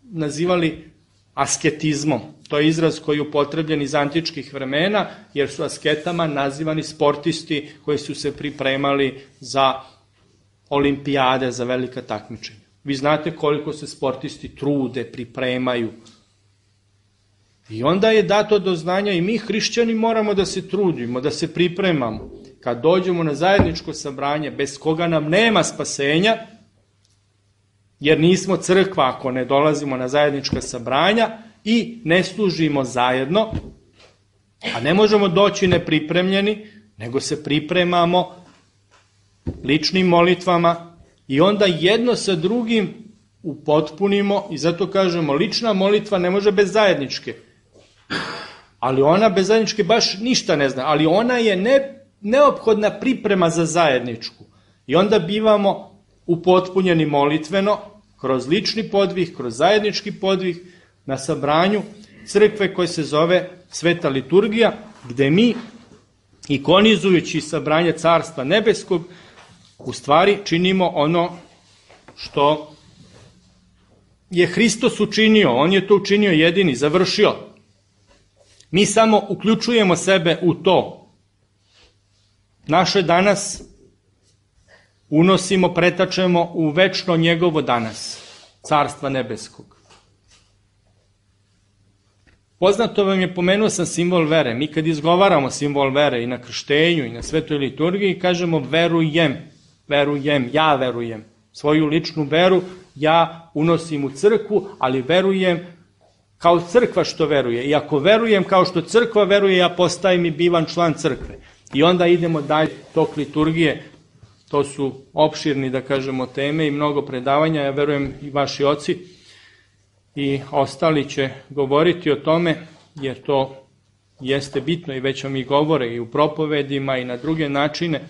S3: nazivali asketizmom. To je izraz koji je upotrebljen iz antičkih vremena, jer su asketama nazivani sportisti koji su se pripremali za olimpijade, za velika takmičenja. Vi znate koliko se sportisti trude, pripremaju. I onda je dato do znanja i mi hrišćani moramo da se trudimo, da se pripremamo. Kad dođemo na zajedničko sabranje, bez koga nam nema spasenja, jer nismo crkva ako ne dolazimo na zajednička sabranja i ne služimo zajedno, a ne možemo doći nepripremljeni, nego se pripremamo ličnim molitvama i onda jedno sa drugim upotpunimo i zato kažemo lična molitva ne može bez zajedničke. Ali ona bez zajedničke baš ništa ne zna, ali ona je neophodna priprema za zajedničku. I onda bivamo upotpunjeni molitveno, kroz lični podvih, kroz zajednički podvih, na sabranju crkve koje se zove Sveta liturgija, gde mi, ikonizujući sabranje Carstva nebeskog, u stvari činimo ono što je Hristos učinio. On je to učinio jedini, završio. Mi samo uključujemo sebe u to. Naše danas unosimo, pretačemo u večno njegovo danas, Carstva nebeskog. Poznato vam je, pomenuo sam simbol vere. Mi kad izgovaramo simbol vere i na krštenju i na svetoj liturgiji, kažemo verujem, verujem, ja verujem. Svoju ličnu veru ja unosim u crkvu, ali verujem kao crkva što veruje. I ako verujem kao što crkva veruje, ja postajem i bivam član crkve. I onda idemo dalje tok liturgije. To su opširni, da kažemo, teme i mnogo predavanja. Ja verujem i vaši oci i ostali će govoriti o tome, jer to jeste bitno i već vam i govore i u propovedima i na druge načine.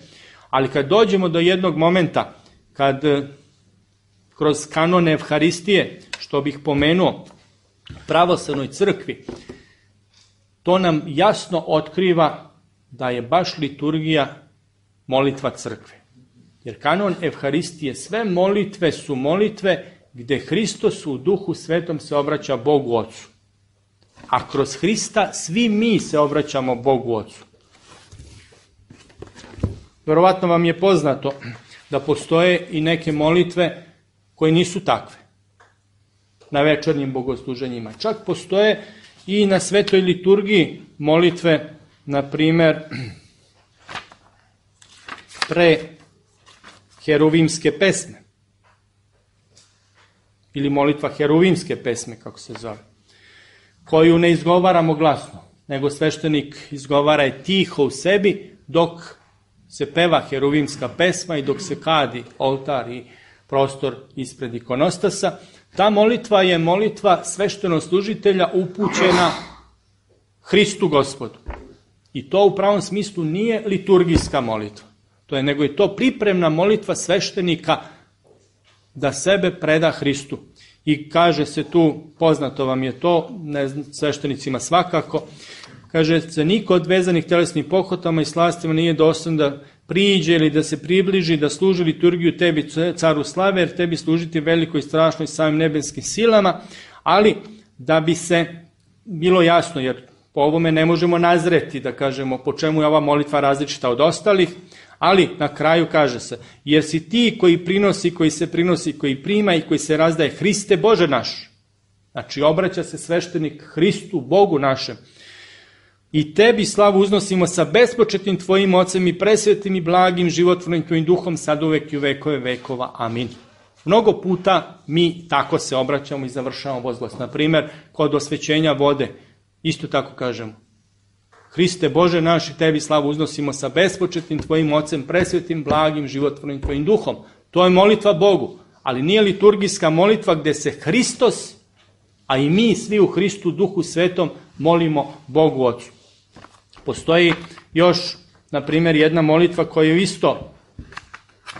S3: Ali kad dođemo do jednog momenta, kad kroz kanone Evharistije, što bih pomenuo, pravoslavnoj crkvi, to nam jasno otkriva da je baš liturgija molitva crkve. Jer kanon Evharistije, sve molitve su molitve gde Hristos u Duhu Svetom se obraća Bogu Ocu. A kroz Hrista svi mi se obraćamo Bogu Ocu. Verovatno vam je poznato da postoje i neke molitve koje nisu takve na večernjim bogosluženjima. Čak postoje i na svetoj liturgiji molitve, na primer, pre heruvimske pesme ili molitva heruvimske pesme, kako se zove, koju ne izgovaramo glasno, nego sveštenik izgovara je tiho u sebi dok se peva heruvimska pesma i dok se kadi oltar i prostor ispred ikonostasa. Ta molitva je molitva sveštenoslужitelja upućena Hristu Gospodu. I to u pravom smislu nije liturgijska molitva. Nego je to pripremna molitva sveštenika da sebe preda Hristu. I kaže se tu, poznato vam je to, sveštenicima svakako, kaže se, niko od vezanih telesnih pohotama i slastima nije dostojan da priđe ili da se približi, da služi liturgiju tebi, caru slave, jer tebi služiti velikoj i strašnoj samim nebeskim silama, ali da bi se bilo jasno, jer po ovome ne možemo nazreti da kažemo po čemu je ova molitva različita od ostalih, ali na kraju kaže se, jer si ti koji prinosi, koji se prinosi, koji prima i koji se razdaje, Hriste Bože naš. Znači obraća se sveštenik Hristu, Bogu našem. I tebi slavu uznosimo sa bespočetnim tvojim ocem i presvetim i blagim životvornim tvojim duhom, sad uvek i u vekove vekova. Amin. Mnogo puta mi tako se obraćamo i završavamo vozglas. Na primjer, kod osvećenja vode, isto tako kažemo. Hriste Bože naš, i tebi slavu uznosimo sa bespočetnim tvojim ocem, presvetim, blagim, životvornim tvojim duhom. To je molitva Bogu, ali nije liturgijska molitva gde se Hristos, a i mi svi u Hristu, Duhu Svetom, molimo Bogu Ocu. Postoji još, na primjer, jedna molitva koju isto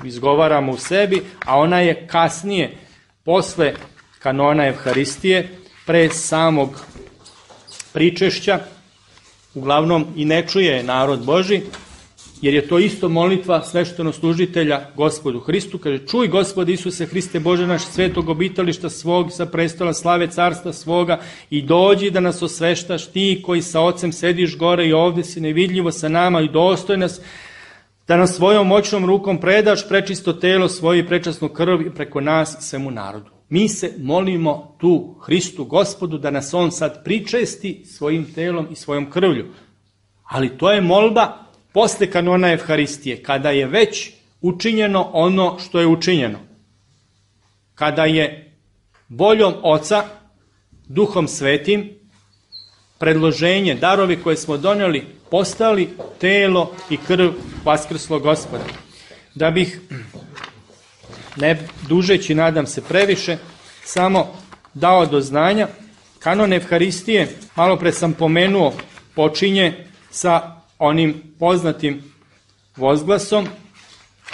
S3: izgovaramo u sebi, a ona je kasnije, posle kanona Evharistije, pre samog pričešća, uglavnom i ne čuje narod Boži, jer je to isto molitva sveštenoslužitelja Gospodu Hristu. Kaže, čuj Gospode Isuse Hriste Bože naš, svetog obitališta svog, sa prestola slave carstva svoga, i dođi da nas osveštaš, ti koji sa Ocem sediš gore i ovde si nevidljivo sa nama, i dostoj nas da nas svojom moćnom rukom predaš prečisto telo svoje i prečasnu krv i preko nas svemu narodu. Mi se molimo tu Hristu Gospodu da nas on sad pričesti svojim telom i svojom krvlju. Ali to je molba posle kanona Evharistije, kada je već učinjeno ono što je učinjeno. Kada je voljom Oca, Duhom Svetim, predloženje, darovi koje smo doneli, postali telo i krv vaskrslog Gospoda. Da bih, ne dužeći, nadam se previše, samo dao do znanja, kanon Evharistije, malo pre sam pomenuo, počinje sa onim poznatim vozglasom: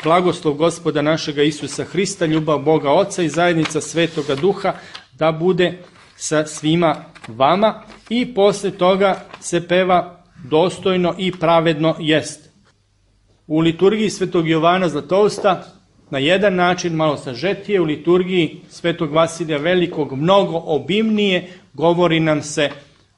S3: blagoslov Gospoda našega Isusa Hrista, ljubav Boga Oca i zajednica Svetoga Duha da bude sa svima vama, i posle toga se peva dostojno i pravedno jest. U liturgiji Svetog Jovana Zlatousta na jedan način, malo sažetije, u liturgiji Svetog Vasilija Velikog mnogo obimnije, govori nam se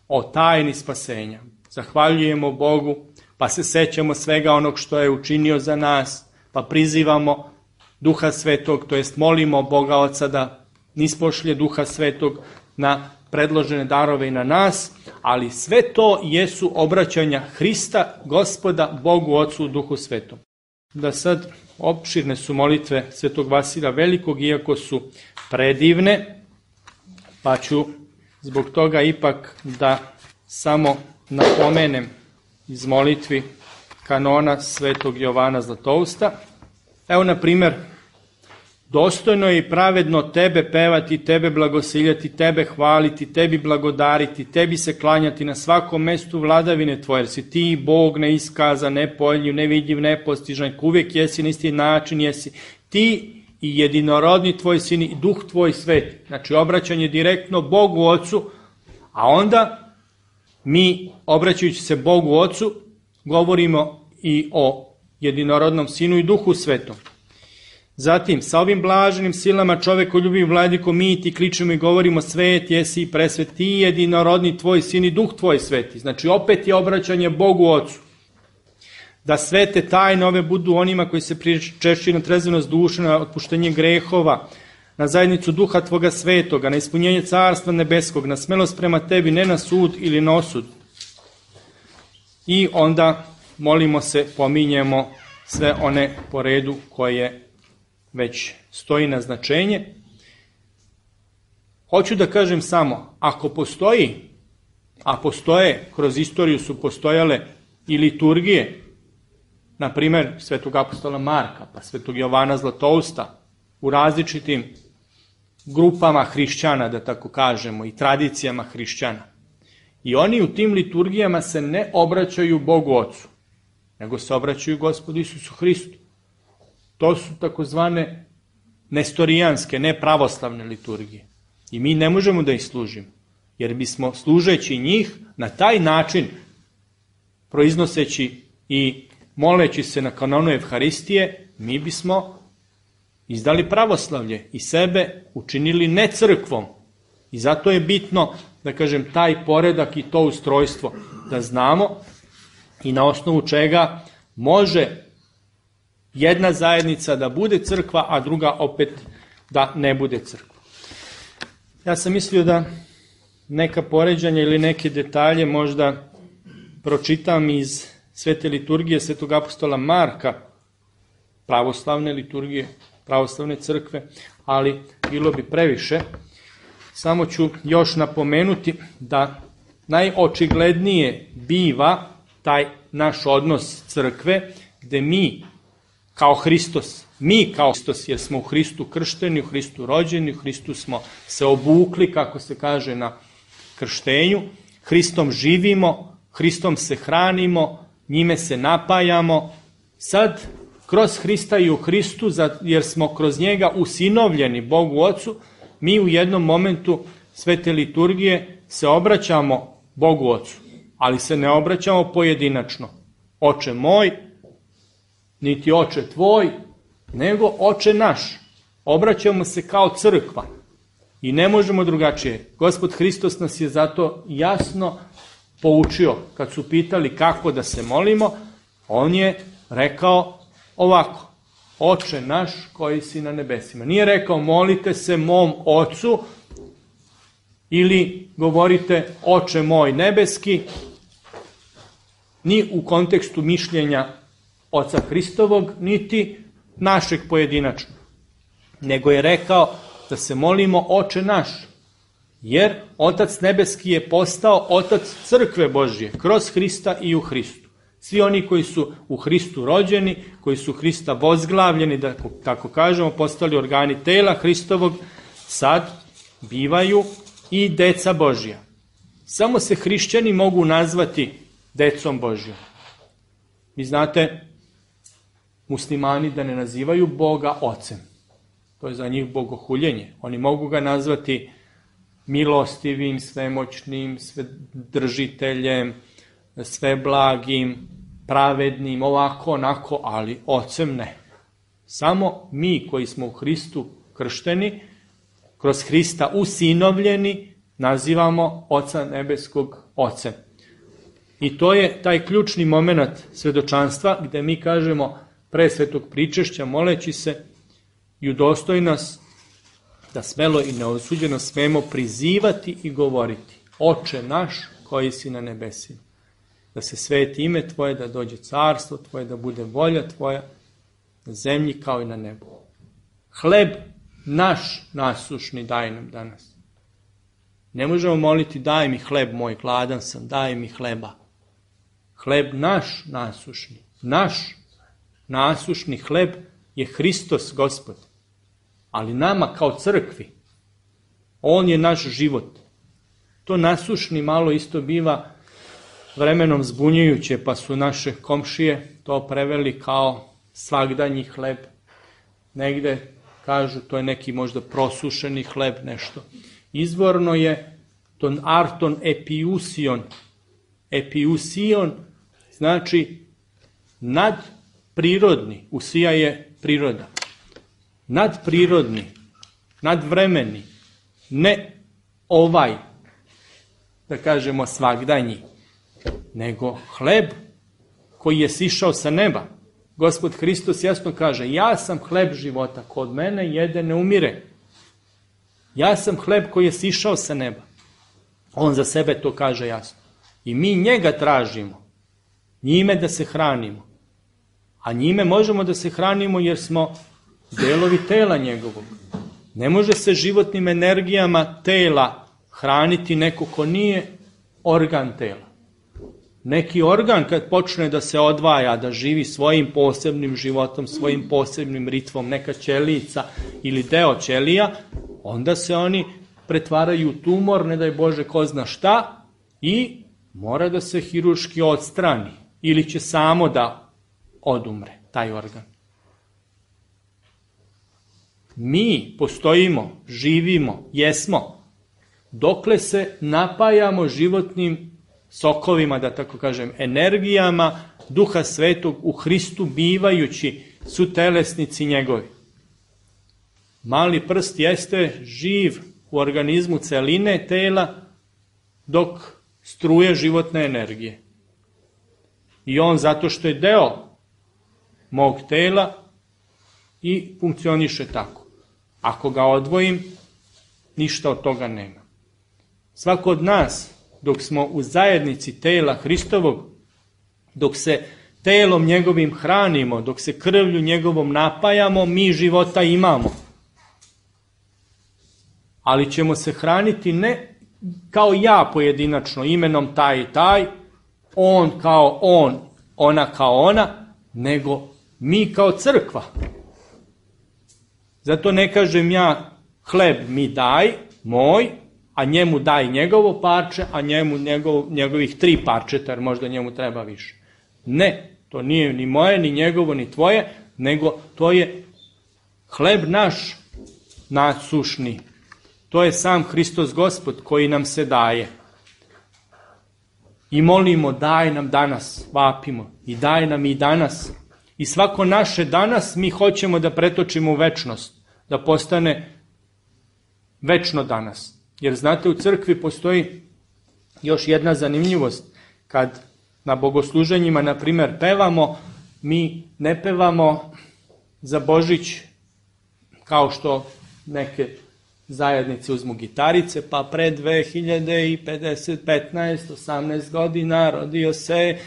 S3: o tajni spasenja. Zahvaljujemo Bogu, pa se sećamo svega onog što je učinio za nas, pa prizivamo Duha Svetog, to jest molimo Boga Oca da nispošlje Duha Svetog na predložene darove i na nas, ali sve to jesu obraćanja Hrista, Gospoda, Bogu Ocu, Duhu Svetom. Da sad, opširne su molitve Svetog Vasilija Velikog, iako su predivne, pa ću zbog toga ipak da samo napomenem iz molitvi kanona Svetog Jovana Zlatousta. Evo, na primjer, dostojno je i pravedno tebe pevati, tebe blagosiljati, tebe hvaliti, tebi blagodariti, tebi se klanjati na svakom mestu vladavine tvoje, jer si ti Bog neiskazan, nepojljiv, nevidljiv, nepostižan, uvijek jesi na isti način, jesi ti i jedinorodni tvoj sin i Duh tvoj sveti. Znači, obraćanje direktno Bogu Ocu, a onda mi, obraćajući se Bogu Ocu, govorimo i o jedinorodnom Sinu i Duhu Svetom. Zatim, sa ovim blaženim silama čovekoljubivim Vladiko, mi ti kličemo i govorimo: svet jesi i presvet, ti jedinorodni tvoj Sin i Duh tvoj sveti. Znači, opet je obraćanje Bogu Ocu. Da sve te tajne ove budu onima koji se pričešćuju na trezvenost duše, na otpuštenje grehova, na zajednicu Duha tvoga svetoga, na ispunjenje Carstva nebeskog, na smelost prema tebi, ne na sud ili na osud. I onda molimo se, pominjemo sve one po redu koje već stoji na značenje. Hoću da kažem samo, ako postoji, a postoje, kroz istoriju su postojale i liturgije, na primer Svetog apostola Marka, pa Svetog Jovana Zlatousta, u različitim grupama hrišćana, da tako kažemo, i tradicijama hrišćana. I oni u tim liturgijama se ne obraćaju Bogu Ocu, nego se obraćaju Gospodu Isusu Hristu. To su takozvane nestorijanske, nepravoslavne liturgije. I mi ne možemo da ih služimo, jer bismo, služeći njih na taj način, proiznoseći i moleći se na kanonu Evharistije, mi bismo izdali pravoslavlje i sebe učinili ne crkvom. I zato je bitno da kažem, taj poredak i to ustrojstvo, da znamo i na osnovu čega može jedna zajednica da bude crkva, a druga opet da ne bude crkva. Ja sam mislio da neka poređanja ili neke detalje možda pročitam iz Svete liturgije Svetog apostola Marka, pravoslavne liturgije, pravoslavne crkve, ali bilo bi previše. Samo ću još napomenuti da najočiglednije biva taj naš odnos crkve, gde mi kao Hristos, jer smo u Hristu kršteni, u Hristu rođeni, u Hristu smo se obukli, kako se kaže na krštenju, Hristom živimo, Hristom se hranimo, njime se napajamo. Sad, kroz Hrista i u Hristu, jer smo kroz njega usinovljeni Bogu Ocu, mi u jednom momentu Svete liturgije se obraćamo Bogu Ocu, ali se ne obraćamo pojedinačno. Oče moj, niti Oče tvoj, nego Oče naš. Obraćamo se kao crkva i ne možemo drugačije. Gospod Hristos nas je zato jasno poučio. Kad su pitali kako da se molimo, on je rekao ovako: Oče naš koji si na nebesima. Nije rekao molite se mom Ocu ili govorite Oče moj nebeski, ni u kontekstu mišljenja Oca Hristovog, niti našeg pojedinačno. Nego je rekao da se molimo Oče naš, jer Otac nebeski je postao Otac crkve Božje, kroz Hrista i u Hristu. Svi oni koji su u Hristu rođeni, koji su Hrista vozglavljeni, da tako kažemo, postali organi tela Hristovog, sad bivaju i deca Božja. Samo se hrišćani mogu nazvati decom Božjom. Vi znate, muslimani da ne nazivaju Boga ocem. To je za njih bogohuljenje. Oni mogu ga nazvati milostivim, svemoćnim, svedržiteljem, sveblagim, pravednim, ovako, onako, ali ocem ne. Samo mi koji smo u Hristu kršteni, kroz Hrista usinovljeni, nazivamo Oca nebeskog ocem. I to je taj ključni moment svedočanstva, gde mi kažemo pre svetog pričešća, moleći se i udostoj nas da smelo i neosuđeno smemo prizivati i govoriti: Oče naš koji si na nebesima, da se sveti ime Tvoje, da dođe carstvo Tvoje, da bude volja Tvoja na zemlji kao i na nebu. Hleb naš nasušni daj nam danas. Ne možemo moliti daj mi hleb moj, gladan sam, daj mi hleba. Hleb naš nasušni, naš nasušni hleb je Hristos Gospod. Ali nama kao crkvi, on je naš život. To nasušni malo isto biva vremenom zbunjujuće, pa su naše komšije to preveli kao svagdanji hleb. Negde kažu to je neki možda prosušeni hleb, nešto. Izvorno je ton arton epiusion. Epiusion znači nadprirodni, usija je priroda. Nadprirodni, nadvremeni, ne ovaj, da kažemo svagdanji, nego hleb koji je sišao sa neba. Gospod Hristos jasno kaže: ja sam hleb života, ko od mene jede ne umire. Ja sam hleb koji je sišao sa neba. On za sebe to kaže jasno. I mi njega tražimo, njime da se hranimo. A njime možemo da se hranimo jer smo delovi tela njegovog. Ne može se životnim energijama tela hraniti neko ko nije organ tela. Neki organ kad počne da se odvaja, da živi svojim posebnim životom, svojim posebnim ritmom, neka ćelica ili deo ćelija, onda se oni pretvaraju u tumor, ne daj Bože ko zna šta, i mora da se hirurški odstrani ili će samo da odumre taj organ. Mi postojimo, živimo, jesmo, dokle se napajamo životnim sokovima, da tako kažem, energijama Duha Svetog u Hristu, bivajući sutelesnici njegovi. Mali prst jeste živ u organizmu celine tela, dok struje životne energije. I on zato što je deo mog tela i funkcioniše tako. Ako ga odvojim, ništa od toga nema. Svako od nas, dok smo u zajednici tela Hristovog, dok se telom njegovim hranimo, dok se krvlju njegovom napajamo, mi života imamo. Ali ćemo se hraniti ne kao ja pojedinačno, imenom taj i taj, on kao on, ona kao ona, nego mi kao crkva. Zato ne kažem ja hleb mi daj, moj, a njemu daj njegovo parče, a njemu njegovih 3 parčeta, jer možda njemu treba više. Ne, to nije ni moje, ni njegovo, ni tvoje, nego to je hleb naš nasušni. To je sam Hristos Gospod koji nam se daje. I molimo, daj nam danas, vapimo, i daj nam i danas. I svako naše danas mi hoćemo da pretočimo u večnost, da postane večno danas. Jer znate, u crkvi postoji još jedna zanimljivost. Kad na bogosluženjima, na primjer, pevamo, mi ne pevamo za Božić kao što neke zajednice uzmu gitarice, pa pre 2050, 15, 18 godina rodio se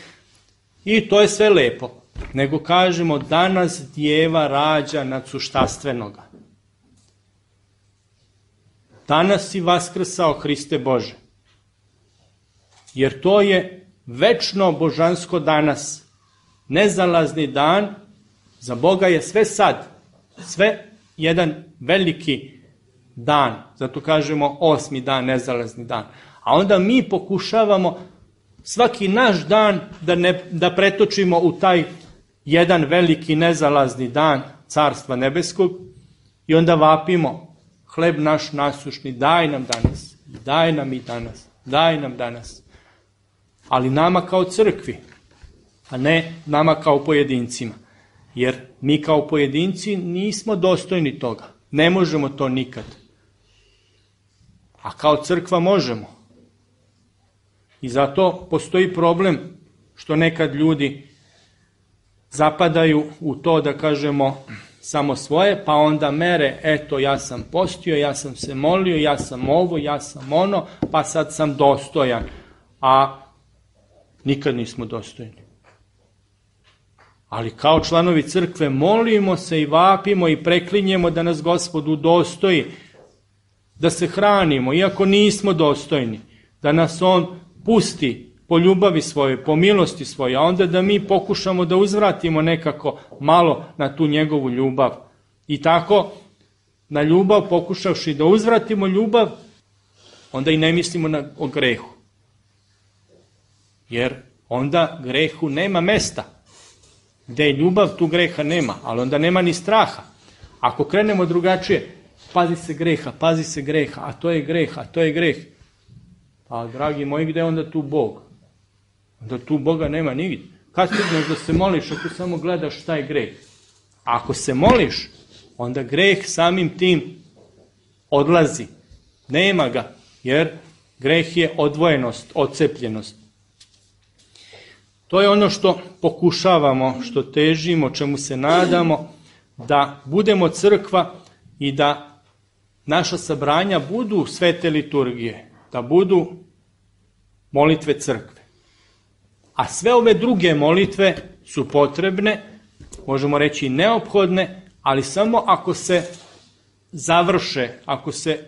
S3: i to je sve lepo. Nego kažemo, danas djeva rađa nadsuštastvenoga. Danas si vaskrsao, Hriste Bože. Jer to je večno božansko danas. Nezalazni dan, za Boga je sve sad. Sve jedan veliki dan. Zato kažemo 8. dan, nezalazni dan. A onda mi pokušavamo svaki naš dan da pretočimo u taj jedan veliki nezalazni dan Carstva nebeskog i onda vapimo, hleb naš nasušni, daj nam danas, daj nam i danas, daj nam danas. Ali nama kao crkvi, a ne nama kao pojedincima. Jer mi kao pojedinci nismo dostojni toga. Ne možemo to nikad. A kao crkva možemo. I zato postoji problem što nekad ljudi zapadaju u to da kažemo samo svoje, pa onda mere, eto ja sam postio, ja sam se molio, ja sam ovo, ja sam ono, pa sad sam dostojan. A nikad nismo dostojni. Ali kao članovi crkve molimo se i vapimo i preklinjemo da nas Gospod udostoji, da se hranimo, iako nismo dostojni, da nas On pusti po ljubavi svoje, po milosti svoje, a onda da mi pokušamo da uzvratimo nekako malo na tu njegovu ljubav. I tako, na ljubav pokušavši da uzvratimo ljubav, onda i ne mislimo o grehu. Jer onda grehu nema mesta. Gde je ljubav, tu greha nema, ali onda nema ni straha. Ako krenemo drugačije, pazi se greha, a to je greh, a to je greh. Pa, dragi moji, gde je onda tu Bog? Onda tu Boga nema nigdje. Kad stigneš da se moliš ako samo gledaš šta je greh? A ako se moliš, onda greh samim tim odlazi. Nema ga, jer greh je odvojenost, odcepljenost. To je ono što pokušavamo, što težimo, čemu se nadamo, da budemo crkva i da naša sabranja budu svete liturgije, da budu molitve crkve. A sve ove druge molitve su potrebne, možemo reći neophodne, ali samo ako se završe, ako se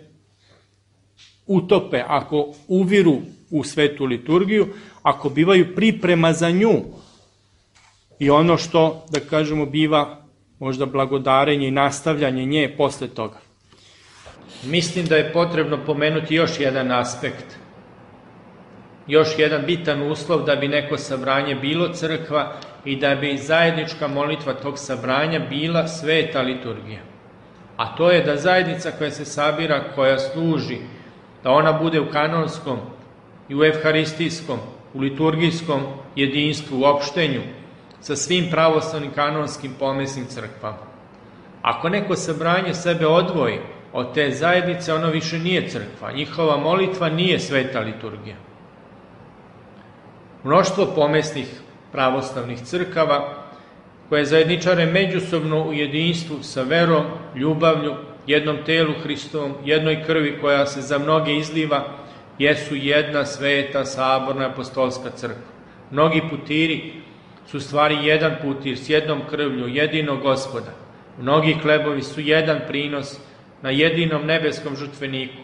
S3: utope, ako uviru u svetu liturgiju, ako bivaju priprema za nju i ono što, da kažemo, biva možda blagodarenje i nastavljanje nje posle toga. Mislim da je potrebno pomenuti još jedan aspekt, još jedan bitan uslov da bi neko sabranje bilo crkva i da bi zajednička molitva tog sabranja bila sveta liturgija. A to je da zajednica koja se sabira, koja služi, da ona bude u kanonskom i u evharistijskom, u liturgijskom jedinstvu, u opštenju, sa svim pravoslavnim kanonskim pomesnim crkvama. Ako neko sabranje sebe odvoji od te zajednice, ono više nije crkva. Njihova molitva nije sveta liturgija. Mnoštvo pomesnih pravoslavnih crkava koje zajedničare međusobno u jedinstvu sa verom, ljubavlju, jednom telu Hristovom, jednoj krvi koja se za mnoge izliva, jesu jedna sveta, saborna, apostolska crkva. Mnogi putiri su stvari jedan putir s jednom krvlju, jedinog Gospoda. Mnogi hlebovi su jedan prinos na jedinom nebeskom žrtveniku,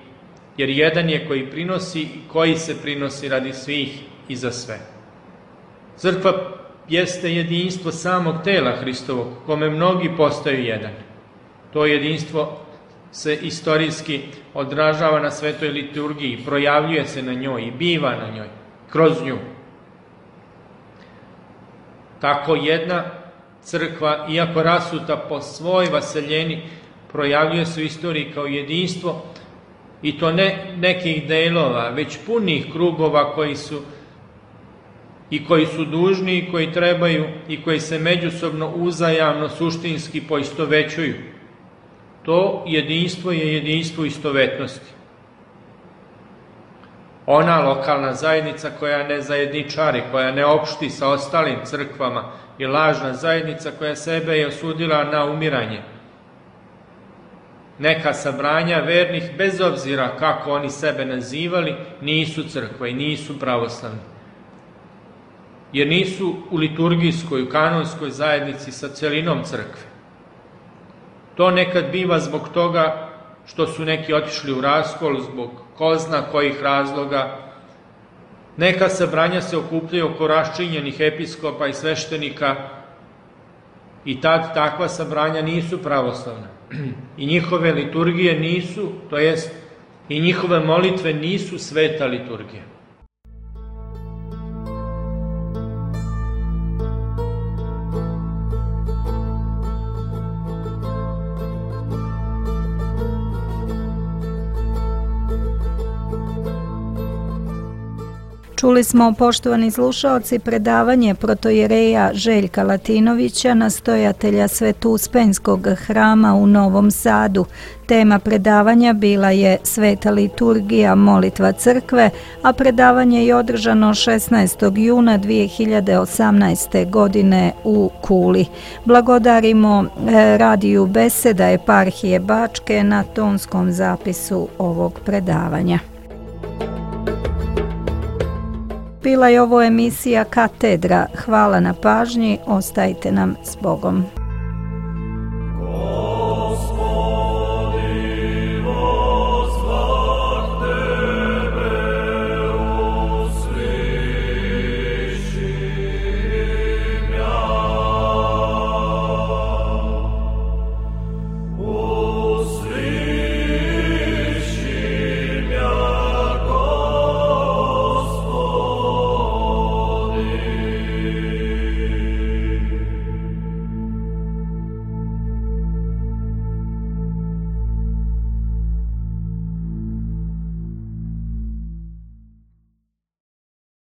S3: jer jedan je koji prinosi i koji se prinosi radi svih i za sve. Crkva jeste jedinstvo samog tela Hristovog, kome mnogi postaju jedan. To jedinstvo se istorijski odražava na svetoj liturgiji, projavljuje se na njoj i biva na njoj, kroz nju. Tako jedna crkva, iako rasuta po svoj vaseljeni, projavljuje se u istoriji kao jedinstvo, i to ne nekih delova, već punih krugova koji su dužni i koji trebaju i koji se međusobno uzajamno suštinski poistovećuju. To jedinstvo je jedinstvo istovetnosti. Ona lokalna zajednica koja ne zajedničari, koja ne opšti sa ostalim crkvama, je lažna zajednica koja sebe je osudila na umiranje. Neka sabranja vernih, bez obzira kako oni sebe nazivali, nisu crkva i nisu pravoslavni. Jer nisu u liturgijskoj, u kanonskoj zajednici sa celinom crkve. To nekad biva zbog toga što su neki otišli u raskol, zbog ko zna kojih razloga. Neka sabranja se okupljaju oko raščinjenih episkopa i sveštenika i tad takva sabranja nisu pravoslavna. I njihove liturgije nisu, to jest i njihove molitve nisu sveta liturgija.
S2: Čuli smo, poštovani slušaoci, predavanje protojereja Željka Latinovića, nastojatelja Svetuspenskog hrama u Novom Sadu. Tema predavanja bila je Sveta liturgija, molitva crkve, a predavanje je održano 16. juna 2018. godine u Kuli. Blagodarimo radiju Beseda eparhije Bačke na tonskom zapisu ovog predavanja. Bila je ovo emisija Katedra. Hvala na pažnji, ostajte nam s Bogom.